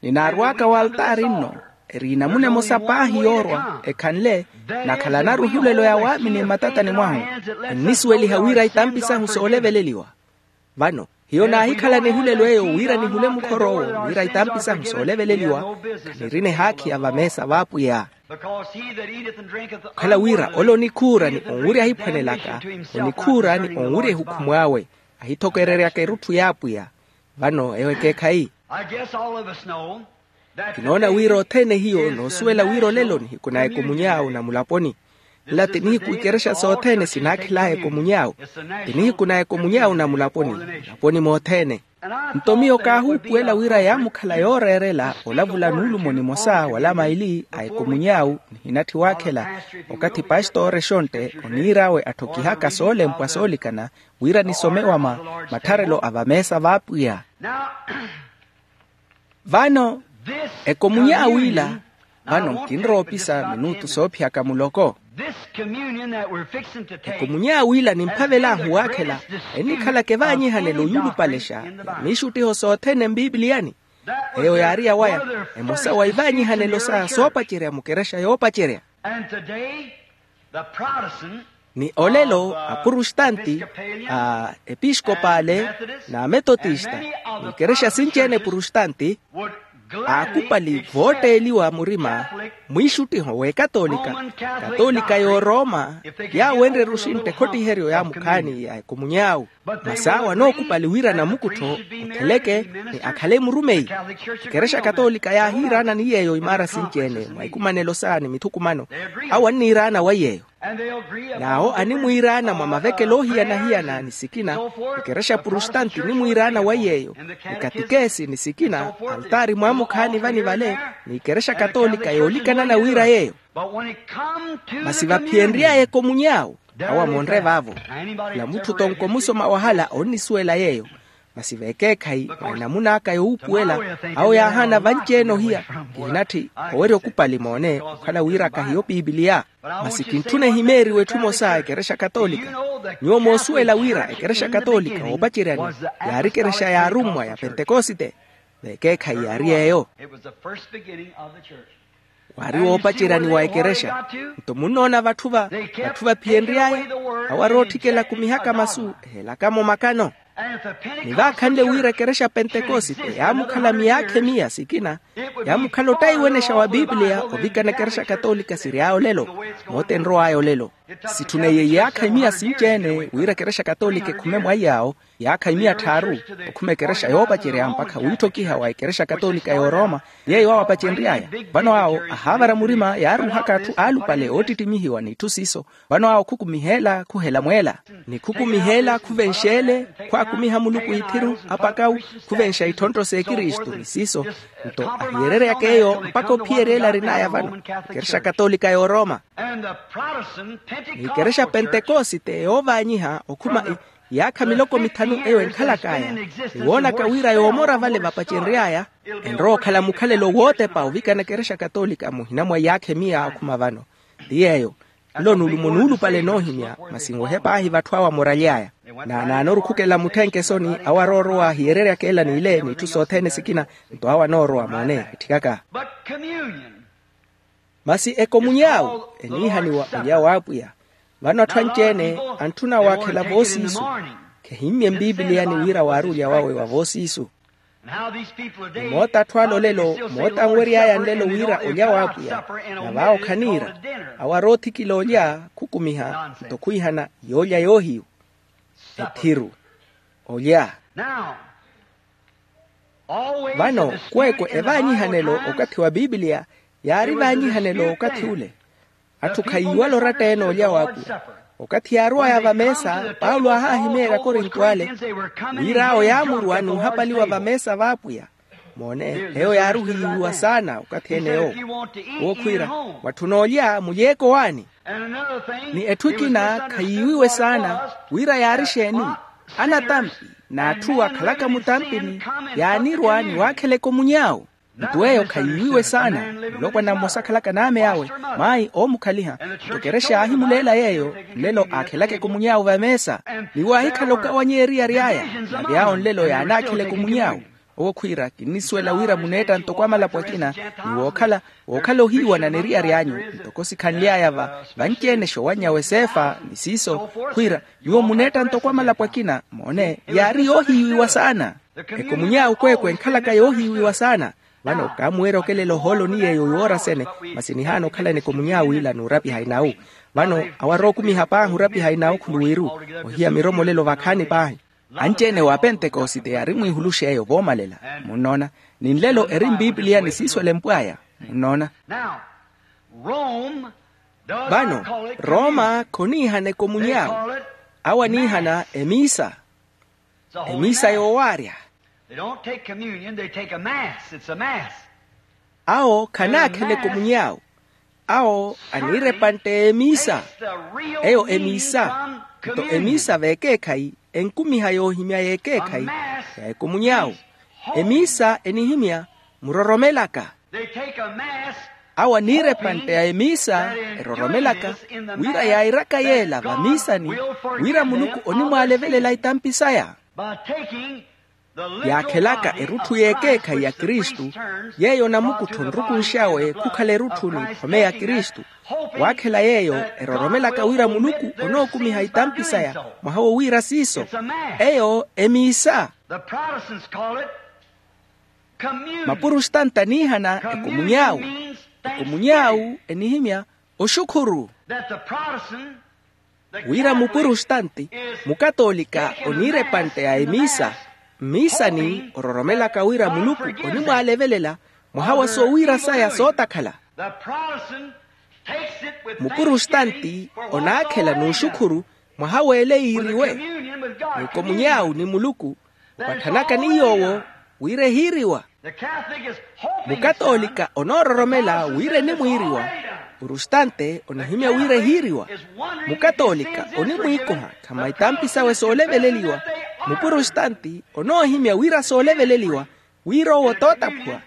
Ninaarw'aka waltaari nno, eri enamuna emosa paahi yoorwa ekhanle, nakhalanaru ehulelo ya waamini mmatatani mwahu. Ennisuweliha wira itampi sahu sooleveleliwa. Vano hiyo naahikhalana ehulelo eyo wira nihule mukhor'owo wira itampi sahu sooleveleliwa. Khanirina ehaakhi ya vameesa v'apwiya. Okhala wira ole onikhuura ni onwirya ahiphwanelaka, onikhuura ni onwirya ehukhumu awe, ahithokereryaka erutthu y'apwiya. Vano eyo ekeekhayi. Kinoona wira othene hiyo noosuwela wira olelo nihiku na ekomuny'awu na mulaponi. Nla ti nihiku ikerexa sothene sinaakhelaaya ekomuny'awu. Ti nihiku na ekomuny'awu na mulaponi, mulaponi mothene. Nto miyo kaahuupuwela wira yaamukhala yooreerela olavula nuulumo nimosa wala maili a ekomuny'awu. Nihinatthi waakhela okathi pastoore exontte oniir'awe atthokihaka soolempwa soolikana wira nisome wama mattharelo a vameesa v'apwiya. Vano ekomuny'awu ila, vano nkinrowa opisa minutu soophiyaka muloko. Ekomuny'awu ila nimphavel'ahu waakhela ennikhalaka evaanyihanelo yuulupalexa ya miixuttiho sothene mpipiliyani. Eyo yaari yawaya emosa wa ivaanyihanelo sa soopacerya mukerexa yoopacerya. Ni olelo apurustanti, a episkopale, na ametotista, n'ikerexa sinci-ene epurustanti aakupali vootteeliwa murima mwiixuttiho w'ekatolika, katolika y'oroma, yaawenrerya oxintta ekhottiheryo yaamukhaani ya ekomuny'awu. Masi awo anookupali wira namukuttho otheleke ni akhale murumeyi. Ekerexa katolika yaahiiraana ni yeeyo imaara sinci-ene mwa ikumanelo sa ni mithukumano. Awo anniiraana wa yeeyo. N'awo animwiiraana mwa mavekelo oohiyana-hiyana ni sikina. Ekerexa purustanti enimwiiraana wa yeeyo, ni katikesi ni sikina, altaari mwaamukhaani vani vale, ni ekerexa katolika yoolikanana wira yeeyo. Masi vaphiyenry'aya ekomuny'awu, awo amonre vaavo. Khula mutthu tonko musoma wahala onnisuwela yeeyo. Masi vekeekhayi mwa enamuna aka yowuupuwela, awo yaahaana vanci-ene ohiya. Kihinatthi owerya okupali moone okhala wira kahiyo pipiliya. Masi kintthuna ehimeeriwe etthu emosa ekerexa katolika. Nyuwo moosuwela wira ekerexa katolika woopaceryani yaari ekerexa y'arummwa ya pentekosite? Vekeekhayi yaari eyo. Waari woopaceryani wa ekerexa. Nto munnoona vatthu va vatthu vaphiyenry'aya, awo arootthikela akumihaka masu ehelakamo makano. Ni vaakhanle wira ekerexa pentekosite yaamukhala miyaakha emiya sikina, Yaamukhala ottaiwenexa wa pipiliya ovikana ekerexa katoolika siry'aya olelo. Moota enrow'aya olelo. Sitthuneiye iyaakha imiya sinci-ene wira ekerexa katoolika ekhume mwaiy'awo, iyaakha imiya tthaaru, okhuma ekerexa yoopacerya mpakha wiitthokiha wa ekerexa katoolika y'oroma. Yeeyo awo apacenry'aya. Vano awo ahaavara murima yaaruuhaka atthu aalupale oottittimihiwa n'itthu siiso. Vano awo khukumiha ela khuhela mweela, ni khukumiha ela khuvenxa ele, khwaakumiha muluku ithiru apakawu, khuvenxa itthonttho s'ekristu ni siiso. Nto ahiyereryaka eyo mpakha ophiyerya ele arin'aya vano, ekerexa katoolika y'oroma. Ni ekerexa pentekosite yoovaanyiha okhuma iyaakha miloko mithanu eyo enkhalak'aya, ni woonaka wira yoomora vale vapacenry'aya, enrowa okhala mukhalelo wootepa ovikana ekerexa katoolika muhina mwa iyaakha emiya okhuma vano. Ti yeeyo. Nlo nulumo nuulupale noohimya, masi nwehe paahi vatthu awo amoraly'aya. Naanaanorukhukela mutthenkesoni awo aroorowa ahiyereryaka ela n'ile n'itthu sothene sikina. Nto awo anoorowa moone etthikaka. Masi ekomuny'awu eniihaniwa olya w'apwiya. Vano atthu anci-ene antthuna waakhela voosiisu. Khehimmye mpipiliyani wira waari olya wawe wa voosiisu. Ni moota atthu ale olelo moota anwery'aya nlelo wira olya w'apwiya. Na vaawo khaniira. Awo aroothikila olya khukumiha nto khwiihana yoolya yoohiyu. Ethiru. Olya. Vano kweekwe evaanyihanelo okathi wa pipiliya yaari vaanyihanelo okathi ule. Atthu khayiiwala oratta-ene olya w'apwiya. Okathi yaarow'aya vameesa paulo aahaahimeerya akorinto ale, wira awo yaamuruwa n'uhapaliwa vameesa v'apwiya. Moone, eyo yaari ohiiwiwa saana okathi-ene yoowo. Owo khwiira, mwatthuna olya mulyeeke owaani. Ni etthu ekina khayiiwiwe saana wira yaari exeeni. Anatampi n'atthu akhalaka mutampini yaanirwa ni waakheleka omuny'awu. Nto eyo khayiiwiwe saana. Mulopwana mmosa akhalaka n'ame awe, maayi oomukhaliha. Nto ekerexa aahimuleela yeeyo nlelo aakhelaka ekomuny'awe vameesa. Ni waahikhala okawanyeya eriyari aya. Nave awo nlelo yaanaakhela ekomuny'awe. Owo khwiira kinnisuwela wira muneetta ntoko amalapo akina, ni wookhala wookhala ohiiwana n'eriyari anyu. Ntoko sikhanly'aya va vanci-ene xoowanny'awe seefa ni siiso. Khwiira nyuwo muneetta ntoko amalapo akina moone yaari yoohiiwiwa saana. Ekomuny'awe kweekwe enkhalaka yoohiiwiwa saana. Vano kaamuweerya okelela ohooloni yeeyo yoora sene, masi nihaana okhalana ekomuny'awe ila n'urapiha inawu. Vano awo arookumiha paahi orapiha inawu khuluwiru ohiya miromolelo vakhaani paahi. Anci-ene wa pentekosite yaari mwiihulux'eyo voomalela. Munnoona? Ni nlelo eri mpipiliyani siiswelempw'aya. Munnoona? Vano roma khoniihana ekomuny'awe. Awo aniihana emiisa. Emiisa yoowaarya. Awo khanaakhela ekomuny'awe. Awo aniira epantte y'emiisa. Eyo emiisa. Nto emiisa v'ekeekhayi enkumiha yoohimya y'ekeekhayi ya ekomuny'awe. Emiisa enihimya muroromelaka. Awo aniira epantte ya emiisa eroromelaka wira yairaka yeela vamiisani, wira muluku onimwaalevelela itampi saya. Yaakhelaka erutthu y'ekeekhayi ya kristu, yeeyo namukuttho nrukunx'awe khukhala erutthu n'iphome ya kristu. Waakhela yeeyo eroromelaka wira muluku onookumiha itampi saya mwaha wowiira siiso. Eyo emiisa. Mapurustanta aniihana ekomuny'awu. Ekomuny'awu enihimya oxukhuru. Wira mupurustanti, mukatoolika oniira epantte ya emiisa. Mmiisani ororomelaka wira muluku onimwaalevelela mwaha wa soowiira saya sootakhala. Mupurustanti onaakhela n'uxukhuru mwaha w'ele yiiriwe. N'ekomuny'awu ni muluku opathanaka ni yoowo wira ehiiriwa. Mukatoolika onoororomela wira enimwiiriwa. Purustante onihimya wira ehiiriwa. Mukatoolika onimwiikuha khamaitaampi sawe sooleveleliwa. Mupurustante onoohimya wira sooleveleliwa, wira owo tootaphuwa.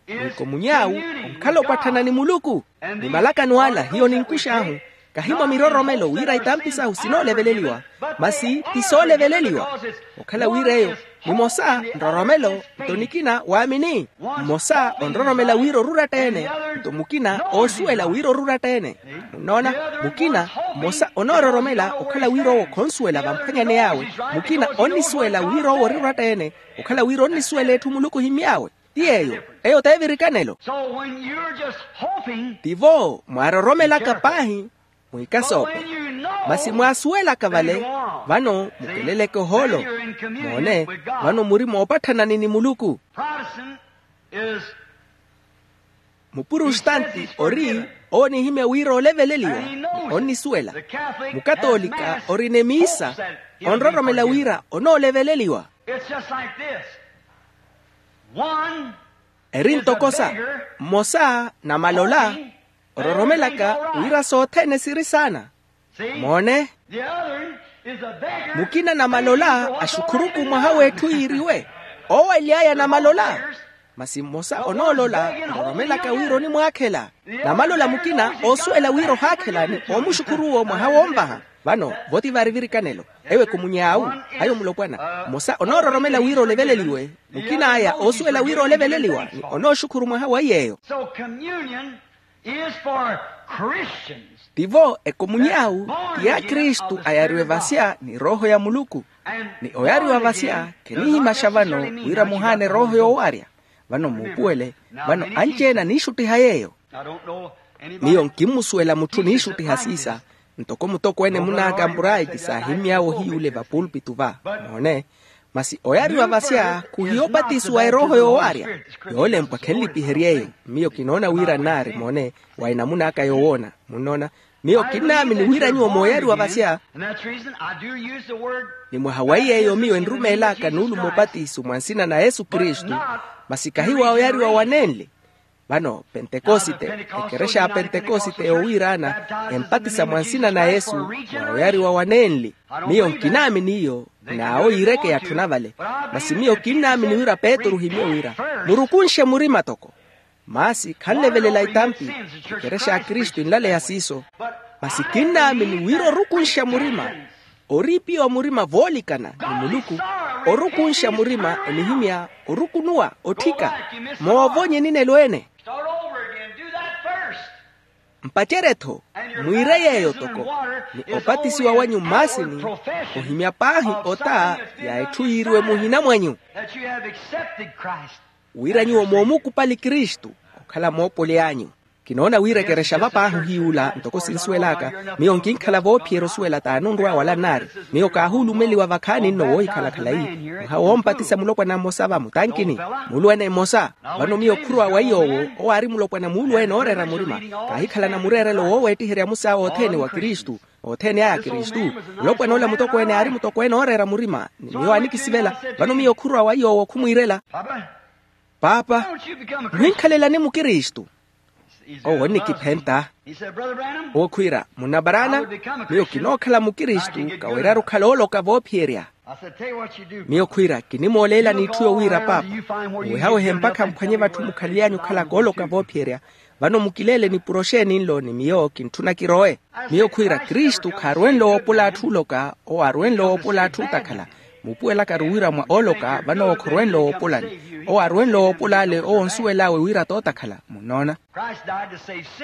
Nkomuny'awu onkhala opatthana ni muluku. Ni malakano ala hiyo ninkux'ahu, kahi mwa miroromelo wira itampi sahu sinooleveleliwa, masi ti sooleveleliwa. Okhala wira eyo nimosa nroromelo, nto nikina waamini. Mmosa onroromela wira oruratta-ene, nto mukina oosuwela wira oruratta-ene. Munnoona? Mukina mmosa onoororomela okhala wira owo khonsuwela vamphwanyaney'awe. Mukina onnisuwela wira owo ori oratta-ene, okhala wira onnisuwela etthu muluku ohimmy'awe. Ti yeeyo. Eyo t'evirikanelo. Tivo mwaaroromelaka paahi, mwiikasoope. Masi mwaasuwelaka vale, vano mukeleleke ohoolo. Moone, vano muri moopatthanani ni muluku. Mupurustanti ori oonihimya wira oleveleliwa, onnisuwela. Mukatoolika orina emiisa, onroromela wira onooleveleliwa. Eri ntoko sa mmosa namalola, ororomelaka wira sothene siri saana. Moone, mukina namalola axukhuruku mwaha w'etthu yiiriwe. Owo ely'aya namalola. Masi mmosa onoolola, ororomelaka wira onimwaakhela. Namalola mukina oosuwela wira ohaakhela ni omuxukhuruwo mwaha wonvaha. Vano voti vari virikanelo. Ewo ekumuny'awu, ayo mulopwana. Mmosa onoororomela wira oleveleliwe. Mukina aya oosuwela wira oleveleliwa ni onooxukhuru mwaha wa iy'eyo. Tivo ekomuny'awu ti ya kristu ayariwe vasya ni rooho ya muluku. Ni oyariwa vasya khenihimaxa vano wira muhaane rooho yoowarya. Vano muupuwele, vano anci-ene aniixuttiha yeeyo. Miyo nkimmusuwela mutthu oniixuttiha siisa. Ntoko mutokweene mun'aka ampurayi ti saahimmy'awe ohiyuule vapulpitu va. Moone. Masi oyariwa vasya khuhiya opatisiwa erooho yoowarya. Yoolempwa khenlipihery'eyo. Miyo kinoona wira nnaari moone, wa enamun'aka yowoona. Munnoona? Miyo kinnaamini wira nyuwo mooyariwa vasya. Ni mwaha wa iy'eyo miyo enrumeel'aka nuulumo opatiso mwa nsina na yesu kristu. Masi kahi wa oyariwa wanenli. Vano pentekosite, ekerexa ya pentekosite yoowiiraana, empatisa mwa nsina na yesu, mwa oyariwa wanenli. Miyo nkinaamini iyo. N'awo yiireke yatthuna vale. Masi miyo kinnaamini wira petru ohimye wira, murukunxe murima toko. Masi khanlevelela itampi. Ekerexa ya kristu enlaleya siiso. Masi kinnaamini wira orukunxa murima, oriipiwa murima voolikana ni muluku. Orukunxa murima enihimya orukunuwa otthika. Moovonye ninelo-ene. Mpacerye-tho, mwiire yeeyo toko. Ni opatisiwa wanyu mmaasini, ohimya paahi ota ya etthu yiiriwe muhina mwanyu. Wira nyuwo moomukupali kristu okhala moopoli anyu. Kinoona wira ekerexa va paahi ohiyuula ntoko sinsuwel'aka. Miyo nkinkhala voophiyerya osuwela t'anunrwa wala nnaari. Miyo kaahuulumeliwa vakhaani nno woohikhala khalayi. Mwaha woompatisa mulopwana mmosa va mutankini. Muuluwene mmosa. Vano miyo khurwa wa iy'owo owo aari mulopwana muuluwene ooreera murima. Kaahikhalana mureerelo wooweettiherya musaawe othene wa kristu. Othene aya a kristu. Mulopwana ola mutokweene aari mutokweene ooreera murima. Ni miyo anikisivela. Vano miyo khurwa wa iy'owo khumwiirela. Paapa, muhinkhalelani mukristu. Owo onnikiphenta. Owo khwiira, munna paraana, miyo kinookhala mukristu kaweryaru okhala ooloka voophiyerya. Miyo khwiira kinimooleelani itthu yowiira paapa, muwehawehe mpakha mphwanye vatthu mukhalely'anyu okhala kooloka voophiyerya. Vano mukileele nipuro xeeni nlo ni miyo kintthuna kirowe. Miyo khwiira kristu khaarwenle woopola atthu oloka. Owo aarwenle woopola atthu otakhala. Muupuwelakaru wira mwa ooloka vano owo khorwenle woopolani. Owo aarwenle woopola ale owo onsuwel'awe wira t'otakhala munnoona.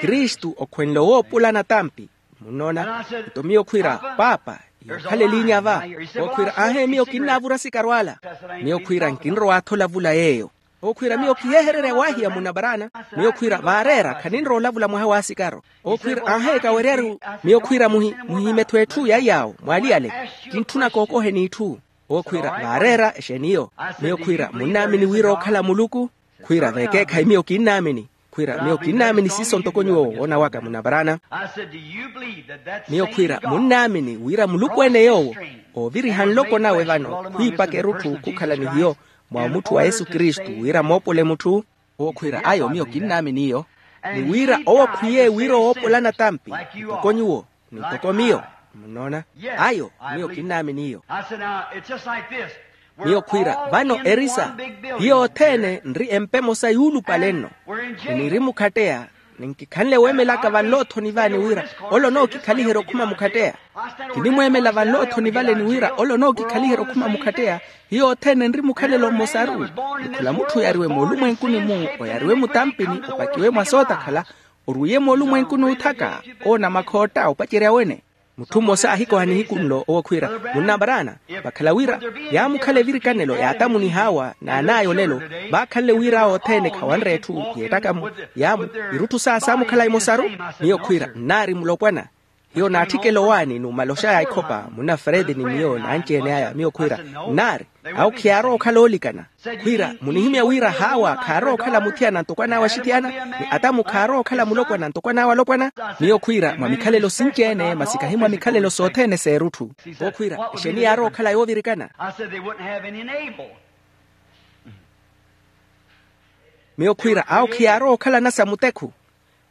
Kristu okhwenle woopolana tampi. Munnoona? Nto miyo khwiira paapa, yookhalelinya va. Owo khwiira aahe miyo kinnaavura sikaro ala. Miyo khwiira nkinrowa atholavula yeeyo. Owo khwiira miyo khihehererya waahiya munna paraana. Miyo khwiira vaareera khaninrowa olavula mwaha w'asikaro. Owo khwiira aahe kaweryaru. Miyo khwiira muhime-tho etthu ya iy'awo mwaaliyale. Kintthuna kookoheni itthu. Owo khwiira vaareera exeeni iyo. Miyo khwiira munnaamini wira ookhala muluku? Khwiira veekeekhayi miyo kinnaamini. Khwiira miyo kinnaamini siiso ntoko nyuwo woona waka munna paraana. Miyo khwiira munnaamini wira muluku-ene yoowo ooviriha nloko nawe vano khwiipaka erutthu khukhala ni hiyo mwa omutthu wa yesu kristu wira moopole mutthu. Owo khwiira ayo miyo kinnaamini iyo. Ni wira owo khwiye wira owoopolana tampi ntoko nyuwo ni ntoko miyo. Munnoona? Ayo miyo kinnaamini iyo. Miyo khwiira vano erisa hiyo othene nri empa emosa yuulupale nno. Ni niri mukhatteya ni nkikhanle weemelaka vanloothoni vani wira ole onookikhaliherya okhuma mukhatteya. Kinimweemela vanloothoni vale ni wira ole onookikhaliherya okhuma mukhatteya. Hiyo othene nri mukhalelo mmosaru. Ni khula mutthu oyariwe moolumwenkuni-mu, oyariwe mutampini opakiwe mwa sootakhala, orwiye moolumwenkuni oothaka, owo namakhootta opacerya wene. Mutthu mmosa ahikoha nihiku nlo owo khwiira, munnamaraana, vakhala wira yaamukhala evirikanelo yaatamuniha awa n'an'aya olelo, vaakhanle wira awo othene khawanre etthu yeettaka-mu. Yaamu irutthu saya saamukhala emosaru. Miyo khwiira nnaari mulopwana. Hiyo naatthikela owaani numala oxaya ikhopa munna fredi ni miyo n'anci-ene aya miyo khwiira, nnaari, awo khiyaarowa okhala oolikana. Khwiira munihimya wira haawa khaarowa okhala muthiyana ntoko an'awe axithiyana, ni atamu khaarowa okhala mulopwana ntoko an'awe alopwana. Miyo khwiira mwa mikhalelo sinci-ene masi kahi mwa mikhalelo sothene s'erutthu. Owo khwiira exeeni yaarowa okhala yoovirikana? Miyo khwiira awo khiyaarowa okhala nasa mutekhu.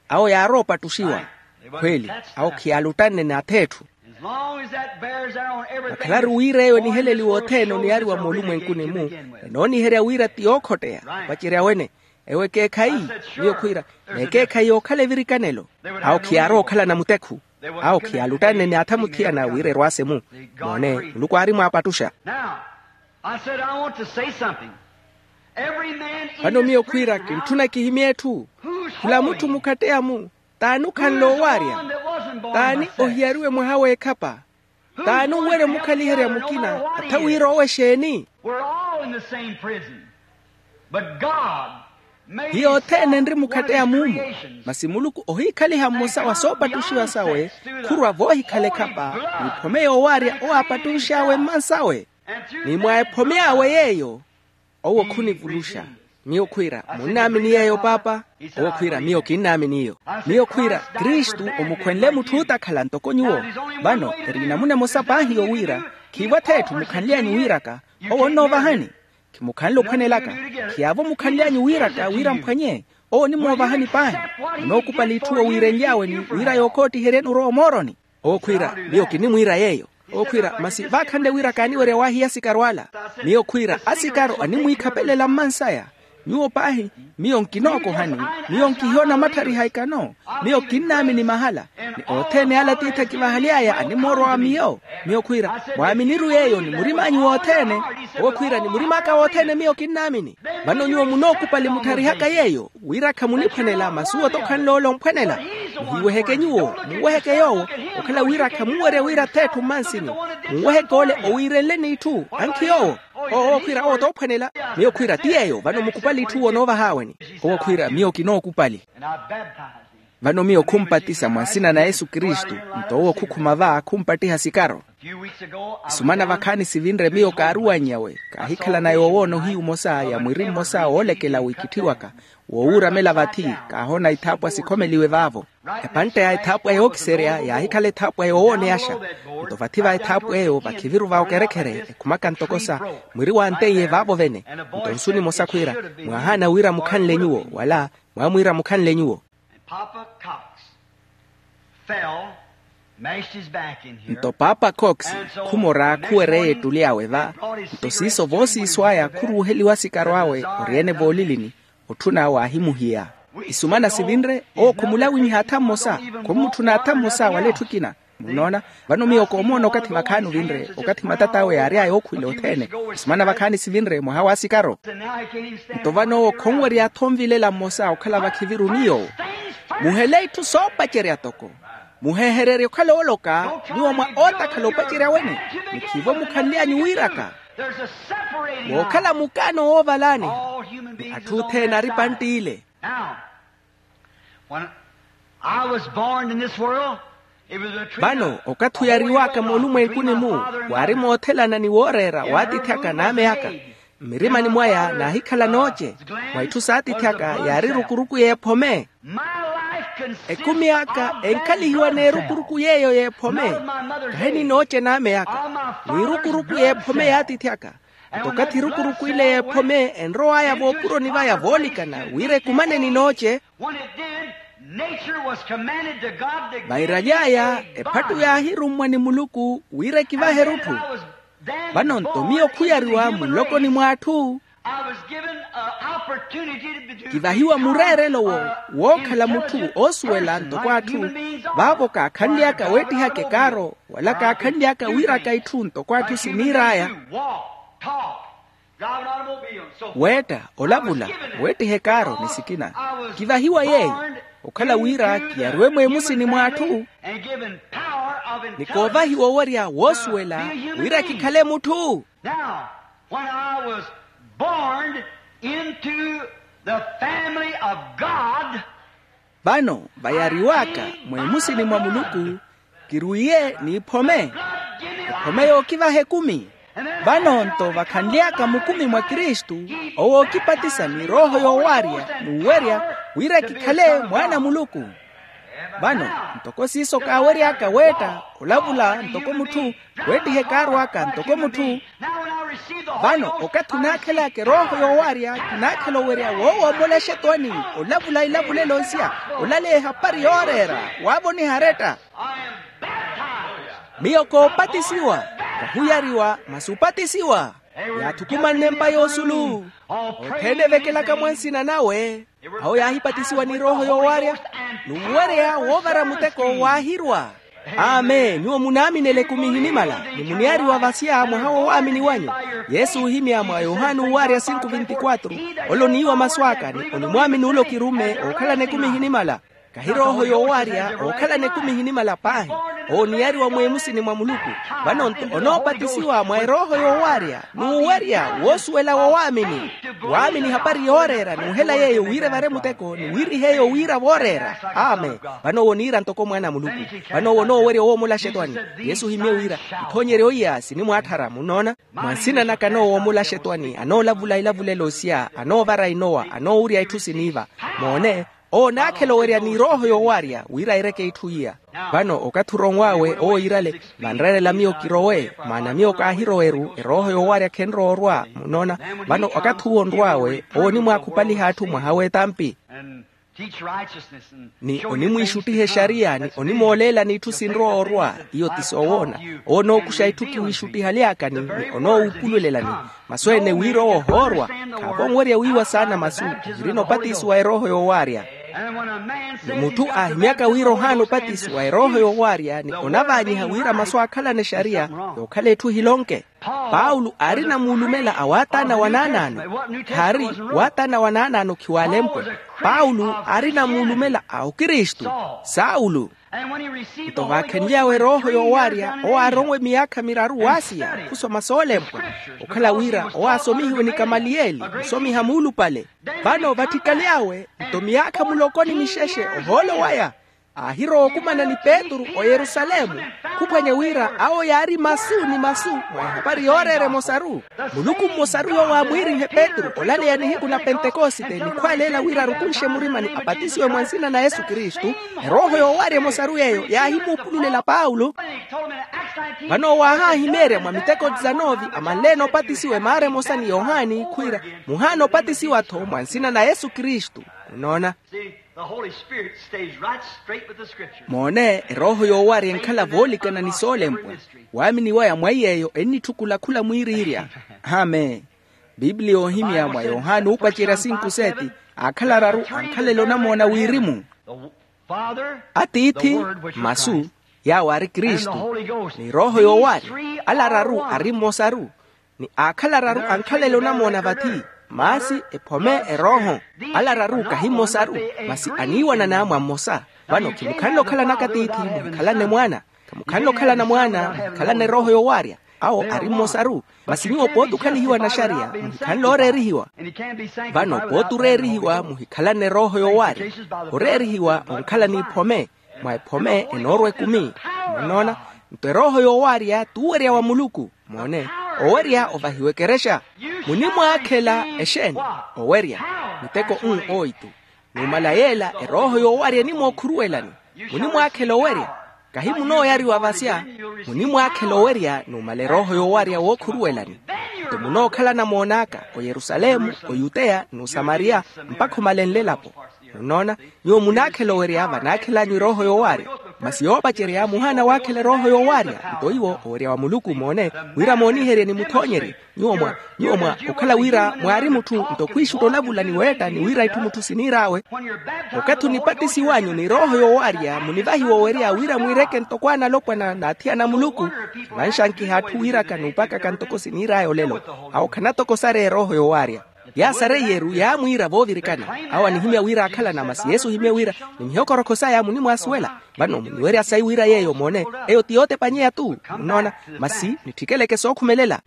Awo yaarowa opattuxiwa. Khweeli, awo khiyaaluttanne n'atheetthu. Vakhalaru wira eyo eniheleliwa othene oniyariwa moolumwenkuni-mu, enooniherya wira ti yookhotteya opacerya wene. Ewo ekeekhayi. Miyo khwiira, n'ekeekhayi yookhala evirikanelo. Awo khiyaarowa okhalana mutekhu. Awo khiyaaluttanne n'atha muthiyana wira erwaase-mu. Moone, muluku aari mwaapattuxa. Vano miyo khwiira kintthuna kihimye etthu. Khula mutthu mukhatteya-mu, t'ani okhanle owaarya? T'ani ohiyariwe mwaha w'ekhapa? T'ani onwerya omukhaliherya mukina? Atha wira owo exeeni? Hiyo othene enri mukhatteya muumu. Masi muluku ohiikhaliha mmosa wa soopattuxiwa sawe, khurwa voohikhala ekhapa, n'iphome yoowaarya owo aapattunx'awe mmansawe. Ni mwa ephome awe yeeyo, owo khunivuluxa. Miyo khwiira, munnaamini yeeyo paapa? Owo khwiira, miyo kinnaamini iyo. Miyo khwiira, kristu omukhwenle mutthu ootakhala ntoko nyuwo. Vano eri namuna emosa paahi yowiira, khiivo atheetthu mukhanly'anyu wiiraka, owo onnoovahani. Khimukhanle ophwanelaka. Khiyaavo mukhanly'anyu wiiraka wira mphwanye, owo onimoovahani paahi. Munookupali itthu owiirenly'awe ni wira yookoottiheryeni orowa omooroni. Owo khwiira, miyo kinimwiira yeeyo. Owo khwiira, masi vaakhanle wira kaaniwerya waahiya asikaru ala. Miyo khwiira, asikaru animwiikhapelela mmansaya. Nyuwo paahi, miyo nkinookohani, miyo nkihiyo namatthariha ikano. Miyo kinnaamini mahala. Ni othene ala atiithi akivahaly'aya animoorowa miyo. Miyo khwiira, mwaaminiru yeeyo ni murim'anyu wothene. Owo khwiira, ni murim'aka wothene miyo kinnaamini. Vano nyuwo munookupali muttharihaka yeeyo, wira khamuniphwanela masi owo t'okhanle ole omphwanela. Muhiiweheke nyuwo, munweheke yoowo, okhala wira khamunwerya wira atheetthu mmansi-nyu. Munweheke ole owiirenle n'itthu ankhi yoowo. Owo khwiira owo t'ophwanela. Miyo khwiira ti yeeyo, vano mukupali itthu owo onoovahaaweni. Owo khwiira, miyo kinookupali. Vano miyo khumpatisa mwa nsina na yesu kristu. Nto owo khukhuma va khumpattiha sikaro. Isumana vakhaani sivinre miyo kaaruwanny'awe, kaahikhala na yoowoona ohiyu omosa ya mwiri mmosa woolekela wikitthiwaka, woowuuramela vathi. Kaahoona ithaapwa sikhomeliwe vaavo. Epantte ya ethaapwa yookiserya yaahikhala ethaapwa yoowooneyaxa. Nto vathi va ethaapwa eyo vakhiviru va okerekhere ekhumaka ntoko sa mwiri wanteiye vaavo vene. Nto nsu nimosa khwiira, mwaahaana wira mukhanle nyuwo wala mwamwiira mukhanle nyuwo. Nto paapa cox khumora khuwereya ettuli awe va. Nto siiso voosiiso aya khuruuheliwa asikaro awe, ori-ene voolilini. Otthuna awe aahimuhiya. Isumana sivinre, owo khumulawinyiha atha mmosa. Khummutthuna atha mmosa wala etthu ekina. Munnoona? Vano miyo koomoona okathi vakhaani ovinre, okathi matat'awe yaary'aya ookhwile othene. Isumana vakhaani sivinre mwaha w'asikaro. Nto vano owo khonwerya atha onvilela mmosa okhala vakhiviru ni yoowo. Muhele itthu soopacerya toko. Muheehererye okhala ooloka, nyuwo mwa ootakhala opacerya wene. Mukhiivo mukhanly'anyu wiiraka. Wookhala mukaano woovalaani. Ni atthu othene ari pantt'ile. Now, when I was born in this world, it was a treat. Vano okathi oyariw'aka moolumwenkuni-mu, waari moothelana ni wooreera w'atiithi aka n'ame aka. Mmirimani mwaya naahikhala nooce. Mwa itthu s'atiithi aka yaari rukuruku y'ephome. Ekumi aka enkhalihiwa n'erukuruku yeeyo y'ephome. Kahi ni nooce n'ame aka, n'irukuruku y'ephome y'atiithi aka. Nto okathi erukuruku ile y'ephome enrow'aya voopuroni vaya voolikana wira ekumane ni nooce. Vairaly'aya ephattu yaahirummwa ni muluku wira ekivahe erutthu. Vano nto miyo khuyariwa mulokoni mw'atthu. Kivahiwa mureerelo wo wookhala mutthu oosuwela ntoko atthu. Vaavo kaakhanly'aka weettihaka ekaaro wala kaakhanly'aka wiiraka itthu ntoko atthu siniir'aya. Weetta, olavula, weettiha ekaaro ni sikina. Kivahiwa yeeyo okhala wira kiyariwe mweemusini mw'atthu. ni koovahiwa owerya woosuwela wira kikhale mutthu. Now, when I was born into the family of God, vano vayariwaka mweemusini mwa muluku, kirwiye n'iphome, ephome yookivaha ekumi. Vano nto vakhanly'aka mukumi mwa kristu, owo ookipatisa ni rooho yoowarya n'uwerya wira kikhale mwaana a muluku. Vano ntoko siiso kaawery'aka weetta, olavula ntoko mutthu, weettiha ekaarw'aka ntoko mutthu. Vano okathi onaakhel'aka erooho yoowarya kinaakhela owerya woowoomolaxa etwani, olavula ilavulelo nsiya, olaleya ehapari yooreera, waavoniha aretta. Miyo koopatisiwa, ohuyariwa masi opatisiwa. Yaathukumanne empa y'osulu, othene evekelaka mwa nsina nawe. Awo yaahipatisiwa ni rooho yoowarya, n'uwerya woovara muteko waahirwa. Amen. Nyuwo munaaminela ekumi ehinimala, ni muniyaariwa vasya mwaha woowaamini wanyu. Yesu oohimya mwa yohani owarya sinku vinti kwatru, ole oniiwa masu aka ni onimwaamini ole okirumme ookhalana ekumi ehinimala. Kahi rooho yoowarya ookhalana ekumi ehinimala paahi, owo oniyariwa mweemusini mwa muluku. Vano nto onoopatisiwa mwa erooho yoowarya n'uwerya woosuwela wowaamini. Waamini hapari yooreera n'uhela yeeyo wira evare muteko ni wira iheeyo wira vooreera. Amen. Vano owo oniira ntoko mwaana a muluku. Vano owo onoowerya woomolaxa etwani. Yesu ohimye wira, ithoonyeryo iya sinimwaatthara munnoona. Mwa nsina naka anoowoomolaxa etwani, anoolavula ilavulelo siya, anoovara inowa, anoowurya itthu siniiva. Moone, owo onaakhela owerya ni rooho yoowarya wira aireke itthu iya. Vano okathi oronw'awe owo iirale, vanreerela miyo kirowe, maana miyo kaahirowe-ru erooho yoowarya khenrowa orwa munnoona. Vano okathi uwo onrw'awe owo onimwaakhupaliha atthu mwaha w'etampi, ni onimwiixuttiha exariya ni onimooleelani itthu sinrowa orwa. Iyo ti soowoona. Owo onookuxa itthu kiwiixuttihaly'akani ni onoowuupululelani. Masu ene wira owo ohoorwa, khaavonwerya wiiwa saana masu, ohirina opatisiwa erooho yoowarya. Ni mutthu aahimyaka wira ohaana opatisiwa erooho yoowarya ni onavaanyiha wira masu aakhalana exariya, yookhala etthu ehilonke. Paulo aarina muulumela a waataana wa naanaano, khaari waataana wa naanaano khiwaalempwe. Paulo aarina muulumela a okristu, saulo. Nto vaakhenly'awe erooho yoowarya owo aaronwe miyaakha miraru waasiya khusoma soolempwa, okhala wira owo aasomihiwe ni kamaliyeli musomiha muulupale. Vano vatthikaly'awe nto miyaakha muloko ni mixexe ohoolo waya, aahirowa okumana ni petru oyerusalemu, khuphwanya wira awo yaari masu ni masu mwa ehapari yooreera emosaru. Muluku mmosaru yoowo aamwiirihe petru olaleya nihiku na pentekosite ni khwaaleela wira arukunxe murimani apatisiwe mwa nsina na yesu kristu. Erooho yoowarya emosaru yeeyo yaahimuupululela paulo. Vano owo aahaahimeerya mwa miteko dizanove amanle-ene opatisiwa emaara emosa ni yohani khwiira, muhaana opatisiwa-tho mwa nsina na yesu kristu. Munoona? The Holy Spirit stays right straight with the Scripture. Moone, erooho yoowarya enkhala voolikana ni soolempwa. Waamini waya mwa iy'eyo ennitthukhula khula mwiiriirya. Amen. Biblia oohimya mwa yohani uupacerya sinku seti, aakhala araru ankhalele onamoona wirimu. Atiithi, masu, yaawo aari kristu, ni rooho yoowarya, ala araru ari mmosaru. Ni aakhala araru ankhalele onamoona vathi, maasi, ephome, erooho. Ala araru kahi mmosaru, masi aniiwanana mwa mmosa. Vano khimukhanle okhalana katiithi muhikhalane mwaana. Khamukhanle okhalana mwaana muhikhalane erooho yoowarya. Awo ari mmosaru. Masi nyuwo pooti okhalihiwa naxariya muhikhanle ooreerihiwa. Vano pooti oreerihiwa muhikhalane erooho yoowarya. Oreerihiwa onkhala n'iphome. Mwa ephome enoorwa ekumi. Munnoona? Nto erooho yoowarya t'uwerya wa muluku. Moone, owerya ovahiwa ekerexa. Munimwaakhela exeeni? Owerya. Miteko n oitu. Numala yeela erooho yoowarya enimookhuruwelani. Munimwaakhela owerya? Kahi munooyariwa vasya. Munimwaakhela owerya numala erooho yoowarya wookhuruwelani. Nto munookhala namoon'aka oyerusalemu, oyuteya n'usamariya, mpakha omalenle elapo. Munnoona? Nyuwo munaakhela owerya vanaakhel'anyu erooho yoowarya. Masi yoopacerya muhaana waakhela erooho yoowarya. Nto iwo owerya wa muluku moone, wira mooniherye ni muthoonyerye. Nyuwo mwa nyuwo mwa okhala wira mwaari mutthu nto khwiixutta olavula ni weetta ni wira itthu mutthu siniir'awe. Okathi onipatisiw'anyu ni erooho yoowarya munivahiwa owerya wira mwiireke ntoko analopwana n'athiyana a muluku. Khavanxankiha atthu wiiraka n'upakaka ntoko siniir'aya olelo. Awo khanatoko sareya erooho yoowarya. Yaasareye-ru yaamwiira voovirikana. Awo anihimya wira aakhalana, masi yesu ohimye wira ni mihokorokho saya munimwaasuwela. Vano muniwerya sayi wira yeeyo moone, eyo ti yootepanyeya-tu. Munnoona? Masi nitthikeleke sookhumelela.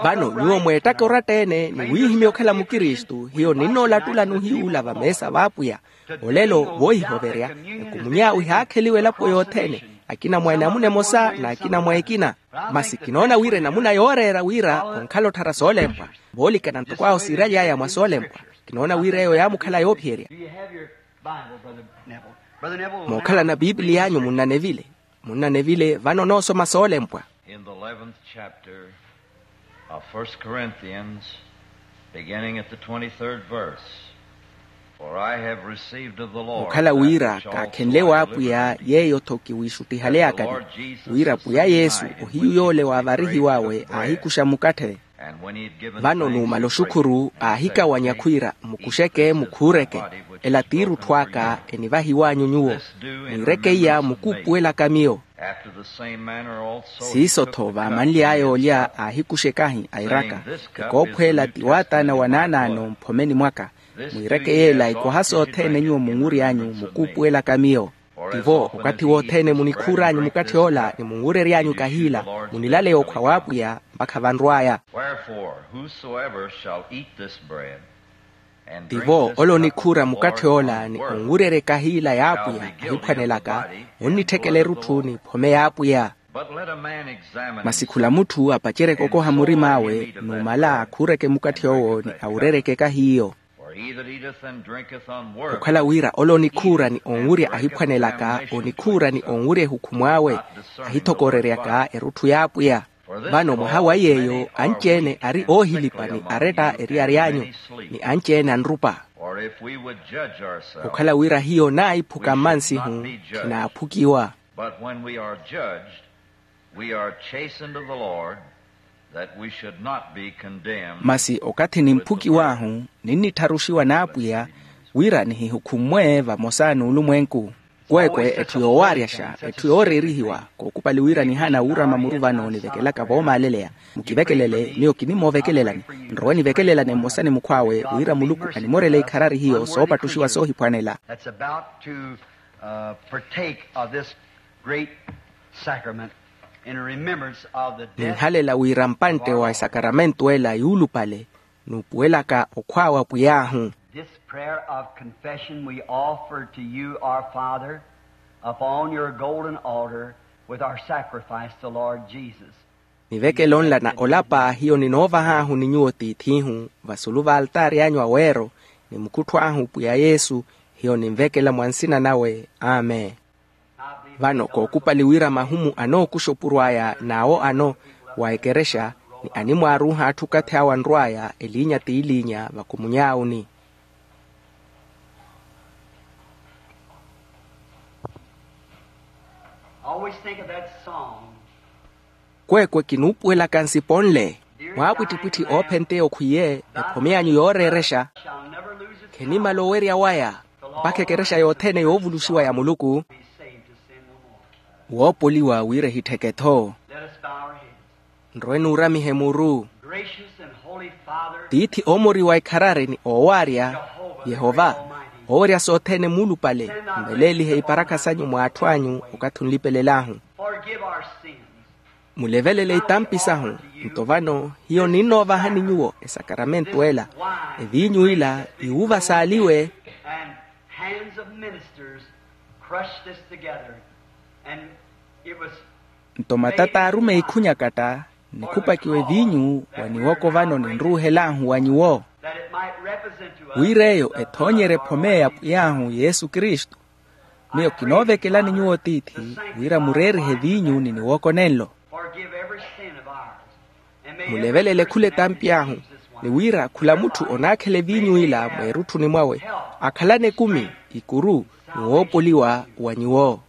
Vano nyuwo mweettaka oratta-ene ni wiihimya okhala mukristu hiyo ninnoolattulani ohiyuula vameesa v'apwiya. Olelo voohihoverya, ekumuny'awe ihaakheliwa elapo yothene, akina mwa enamuna emosa n'akina mwa ekina. Masi kinoona wira enamuna yooreera wira onkhala otthara soolempwa, voolikana ntoko awo siiraly'aya mwa soolempwa. Kinoona wira eyo yaamukhala yoophiyerya. Mookhalana piipiliya anyu munnanevile. Munnanevile vano noosoma soolempwa. In the eleventh chapter of First Corinthians, beginning at the twenty-third verse, for I have received of the Lord okhala wira kaakhenle w'apwiya yeeyo-tho kiwiixuttihaleyakani, wira pwiya yesu ohiyu yoole waavarihiw'awe aahikuxa mukatthe. Vano numala oxukhuru aahikawanya khwiira mukuxeke mukhuureke, ela t'irutthu aka enivahiw'anyu nyuwo. Mwiireke iya mukuupuwelaka miyo. Siiso-tho vaamanly'aya olya aahikuxa ekahi airaka, ekoophweela ti waataana wa naanaano mphomeni mwaka. Mwiireke yeela ikoha sothene nyuwo munwury'anyu mukuupuwelaka miyo. Tivo okathi wothene munikhuur'anyu mukatthi ola ni munwurery'anyu kahiila, munilaleya okhwa w'apwiya mpakha vanrw'aya. Wherefore whosoever shall eat this bread and drink this cup of the Lord's wrath tivo ole onikhuura mukatthi ola ni onwurerye kahiila y'apwiya ahiphwanelaka, munnitthekela erutthu ni phome y'apwiya. But let a man examine himself, masi khula mutthu apaceryeke okoha murim'awe numala akhuureke mukatthi owo ni awureryeke kahiiyo. For he that eateth and drinketh unworthily, okhala wira ole onikhuura ni onwurya ahiphwanelaka onikhuura ni onwurya ehukhumw'awe, ahithokoreryaka erutthu y'apwiya. Vano mwaha wa yeeyo anci-ene ari oohilipa ni aretta eryari anyu, ni anci-ene anrupa. Or if we would judge ourselves, okhala wira hiyo naahiphuka mmansihu khinaaphukiwa. But when we are judged, we are chastened of the Lord, that we should not be condemned. Masi okathi nimphukiw'ahu ninnittharuxiwa n'apwiya, wira nihihukhumwe vamosa n'ulumwenku. Kweekwe etthu yoowaaryasha etthu yooreerihiwa. Kookupali wira nihaana wuurama muru vano nivekelaka voomaaleleya. Mukivekelele miyo kinimoovekelelani. Nrowe nivekelelane mmosa ni mukhw'awe wira muluku animorele ikharari hiyo soopattuxiwa soohiphwanela. That's about to uh, partake of this great sacrament in remembrance of the death ninhalela wira mpantte wa esakaramento ela yuulupale, nuupuwelaka okhwaawa pwiy'ahu. This prayer of confession we offer to you, our Father, upon your golden altar with our sacrifice, the Lord Jesus. Nivekelo nla na olapa hiyo ninoovah'ahu ni nyuwo tiith'ihu vasulu v'altaari anyu aweero, ni mukhuttho ahu pwiya yesu, hiyo ninvekela mwa nsina nawe. Amen. Vano kookupali wira mahumu anookuxa opuro aya n'awo ano wa ekerexa, ni animwaaruuha atthu okathi awo anrw'aya eliinya t'iliinya vakumuny'awuni. Always think of that song. Kweekwe kinuupuwelaka nsipo nle. Mwaapwittipwitthi oophentteya okhwiye, ephome anyu yooreerexa, khenimal'owerya waya mpakha ekerexa yothene yoovuluxiwa ya muluku, woopoliwa wira ehittheke-tho. Nrowe nuuramihe muru. Tiithi oomoriwa ekharari ni oowaarya, yehova, oowerya sothene muulupale, mveleelihe iparakha sanyu mwa atthu anyu okathi onlipelelahu. Mulevelele itampi sahu. Nto vano hiyo ninnoovahani nyuwo esakaramento ela, eviinyu ila iwuva saaliwe. Nto matata aarumeyi khunyakatta, nikhupakiwa eviinyu wa niwoko vano ninruuhel'ahu wa nyuwo, wira eyo ethoonyerye ephome ya pwiy'ahu yesu kristu. Miyo kinoovekelani nyuwo tiithi, wira mureerihe eviinyu ni niwoko nenlo. Mulevelele khula etampi ahu, ni wira khula mutthu onaakhela eviinyu ila mweerutthuni mwawe, akhalane ekumi, ikuru, ni woopoliwa wa nyuwo.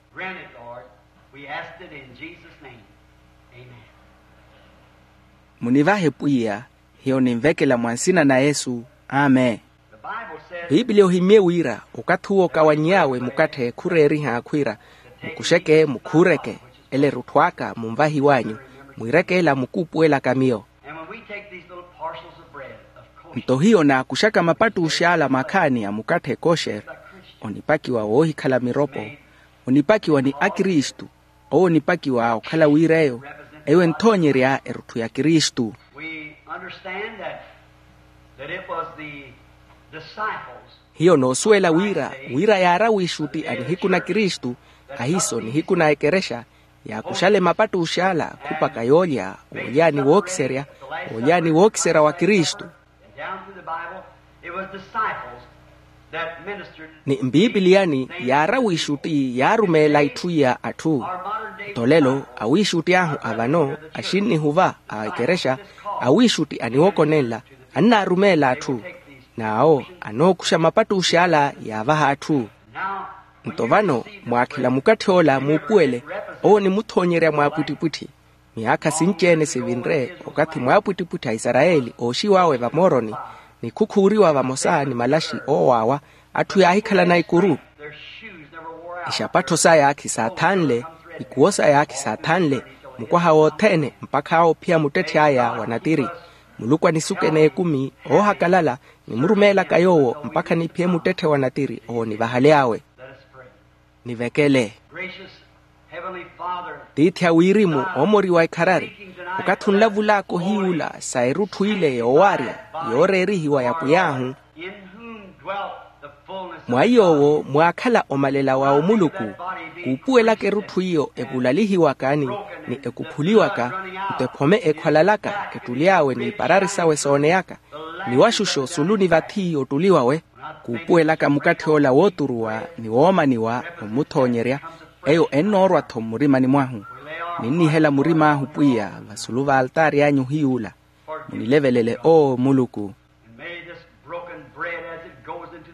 Munivahe pwiya, hiyo ninvekela mwa nsina na yesu. Amen. Piipiliya ohimmye wira okathi uwo okawanny'awe mukatthe khureeriha khwiira, mukuxeke mukhuureke, ela erutthu aka munvahiw'anyu, mwiireke ela mukuupuwelaka miyo. And when we take these little parcels of bread, Nto hiyo naakuxaka mapattux'ala makhaani a mukatthe kosher, onipakiwa woohikhala miropo, onipakiwa ni akristu, owo onipakiwa okhala wira eyo, eyo enthoonyerya erutthu ya kristu. We understand that, that it was the disciples. Hiyo noosuwela wira, wira yaara wiixutti a nihiku na kristu, ahiiso nihiku na ekerexa, yaakuxale mapattux'ala khupaka yoolya, woolyaani wookiserya, woolyaani wookiserya wa kristu. And down through the Bible, it was disciples that ministered. Ni mpipiliyani yaara wiixutti yaarumeela itthu iya atthu. Nto lelo awiixutti ahu a vano axinnihuva a ekerexa, awiixutti aniwokonenla, annaarumeela atthu, n'awo anookuxa mapattux'ala yaavaha atthu. Nto vano, mwaakhela mukatthi ola muupuwele, owo onimuthoonyerya mwaapwittipwitthi. Miyaakha sinci-ene sivinre okathi mwaapwittipwitthi a isarayeli ooxiw'awe vamooroni, ni khukhuuriwa vamosa ni malaxi oowaawa, atthu yaahikhalana ikuru. Ixapattho saya khisaathanle, ikuwo saya khisaathanle, mukwaha wothene mpakha oophiya muttetthe aya wa natiri. Muluku anisukene ekumi oohakalala, nimurumeelaka yoowo mpakha niphiye muttetthe wa natiri owo nivahaly'awe. Nivekele. Gracious Heavenly Father, tiithi a wirimu, oomoriwa ekharari, okathi onlavul'aka ohiy'ula sa erutthu ile yoowaarya, yooreerihiwa ya pwiy'ahu, in whom dwelt the fullness of mwa iy'owo mwaakhala omalela wa omuluku, kuupuwelaka erutthu iyo evulalihiwaka ni ekuphuliwaka, nto ephome ekhwalalaka ettuly'awe n'iparari sawe sooneyaka, ni waxuxo sulu ni vathi ottuliwawe. Kuupuwelaka mukatthi ola wooturuwa ni woomaniwa omuthoonyerya, eyo ennoorwa-tho mmurimani mwahu. Ninnihela murim'ahu pwiya vasulu v'altaari anyu ohiy'ula. Munilevelele oo muluku.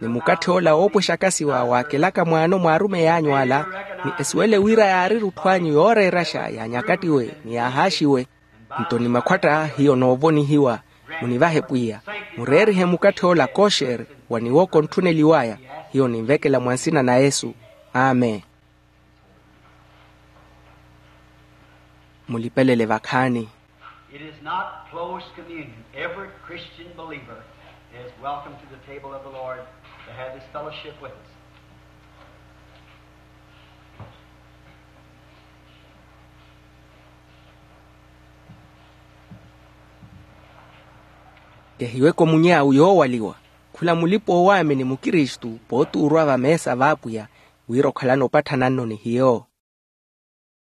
Ni mukatthi ola woopwexaka siwa waakelaka mwaano mwa arumeyi anyu ala, ni esuwele wira yaari erutthu anyu yooreeraxa ya nyakattiwe ni yaahaaxiwe. Nto ni makhwatta hiyo noovonihiwa. Munivahe pwiya, mureerihe mukatthi ola kosher wa niwoko ntthuneliw'aya. Hiyo ninvekela mwa nsina na yesu. Amen. Mulipelele vakhaani. It is not closed communion. Every Christian believer is welcome to the table of the Lord to have his fellowship with us. Kehiweke omuny'awu yoowaliwa, khula mulipa-oowaamini mukristu pootuurwa vameesa v'apwiya, wira okhalana opatthana-nno ni hiyo.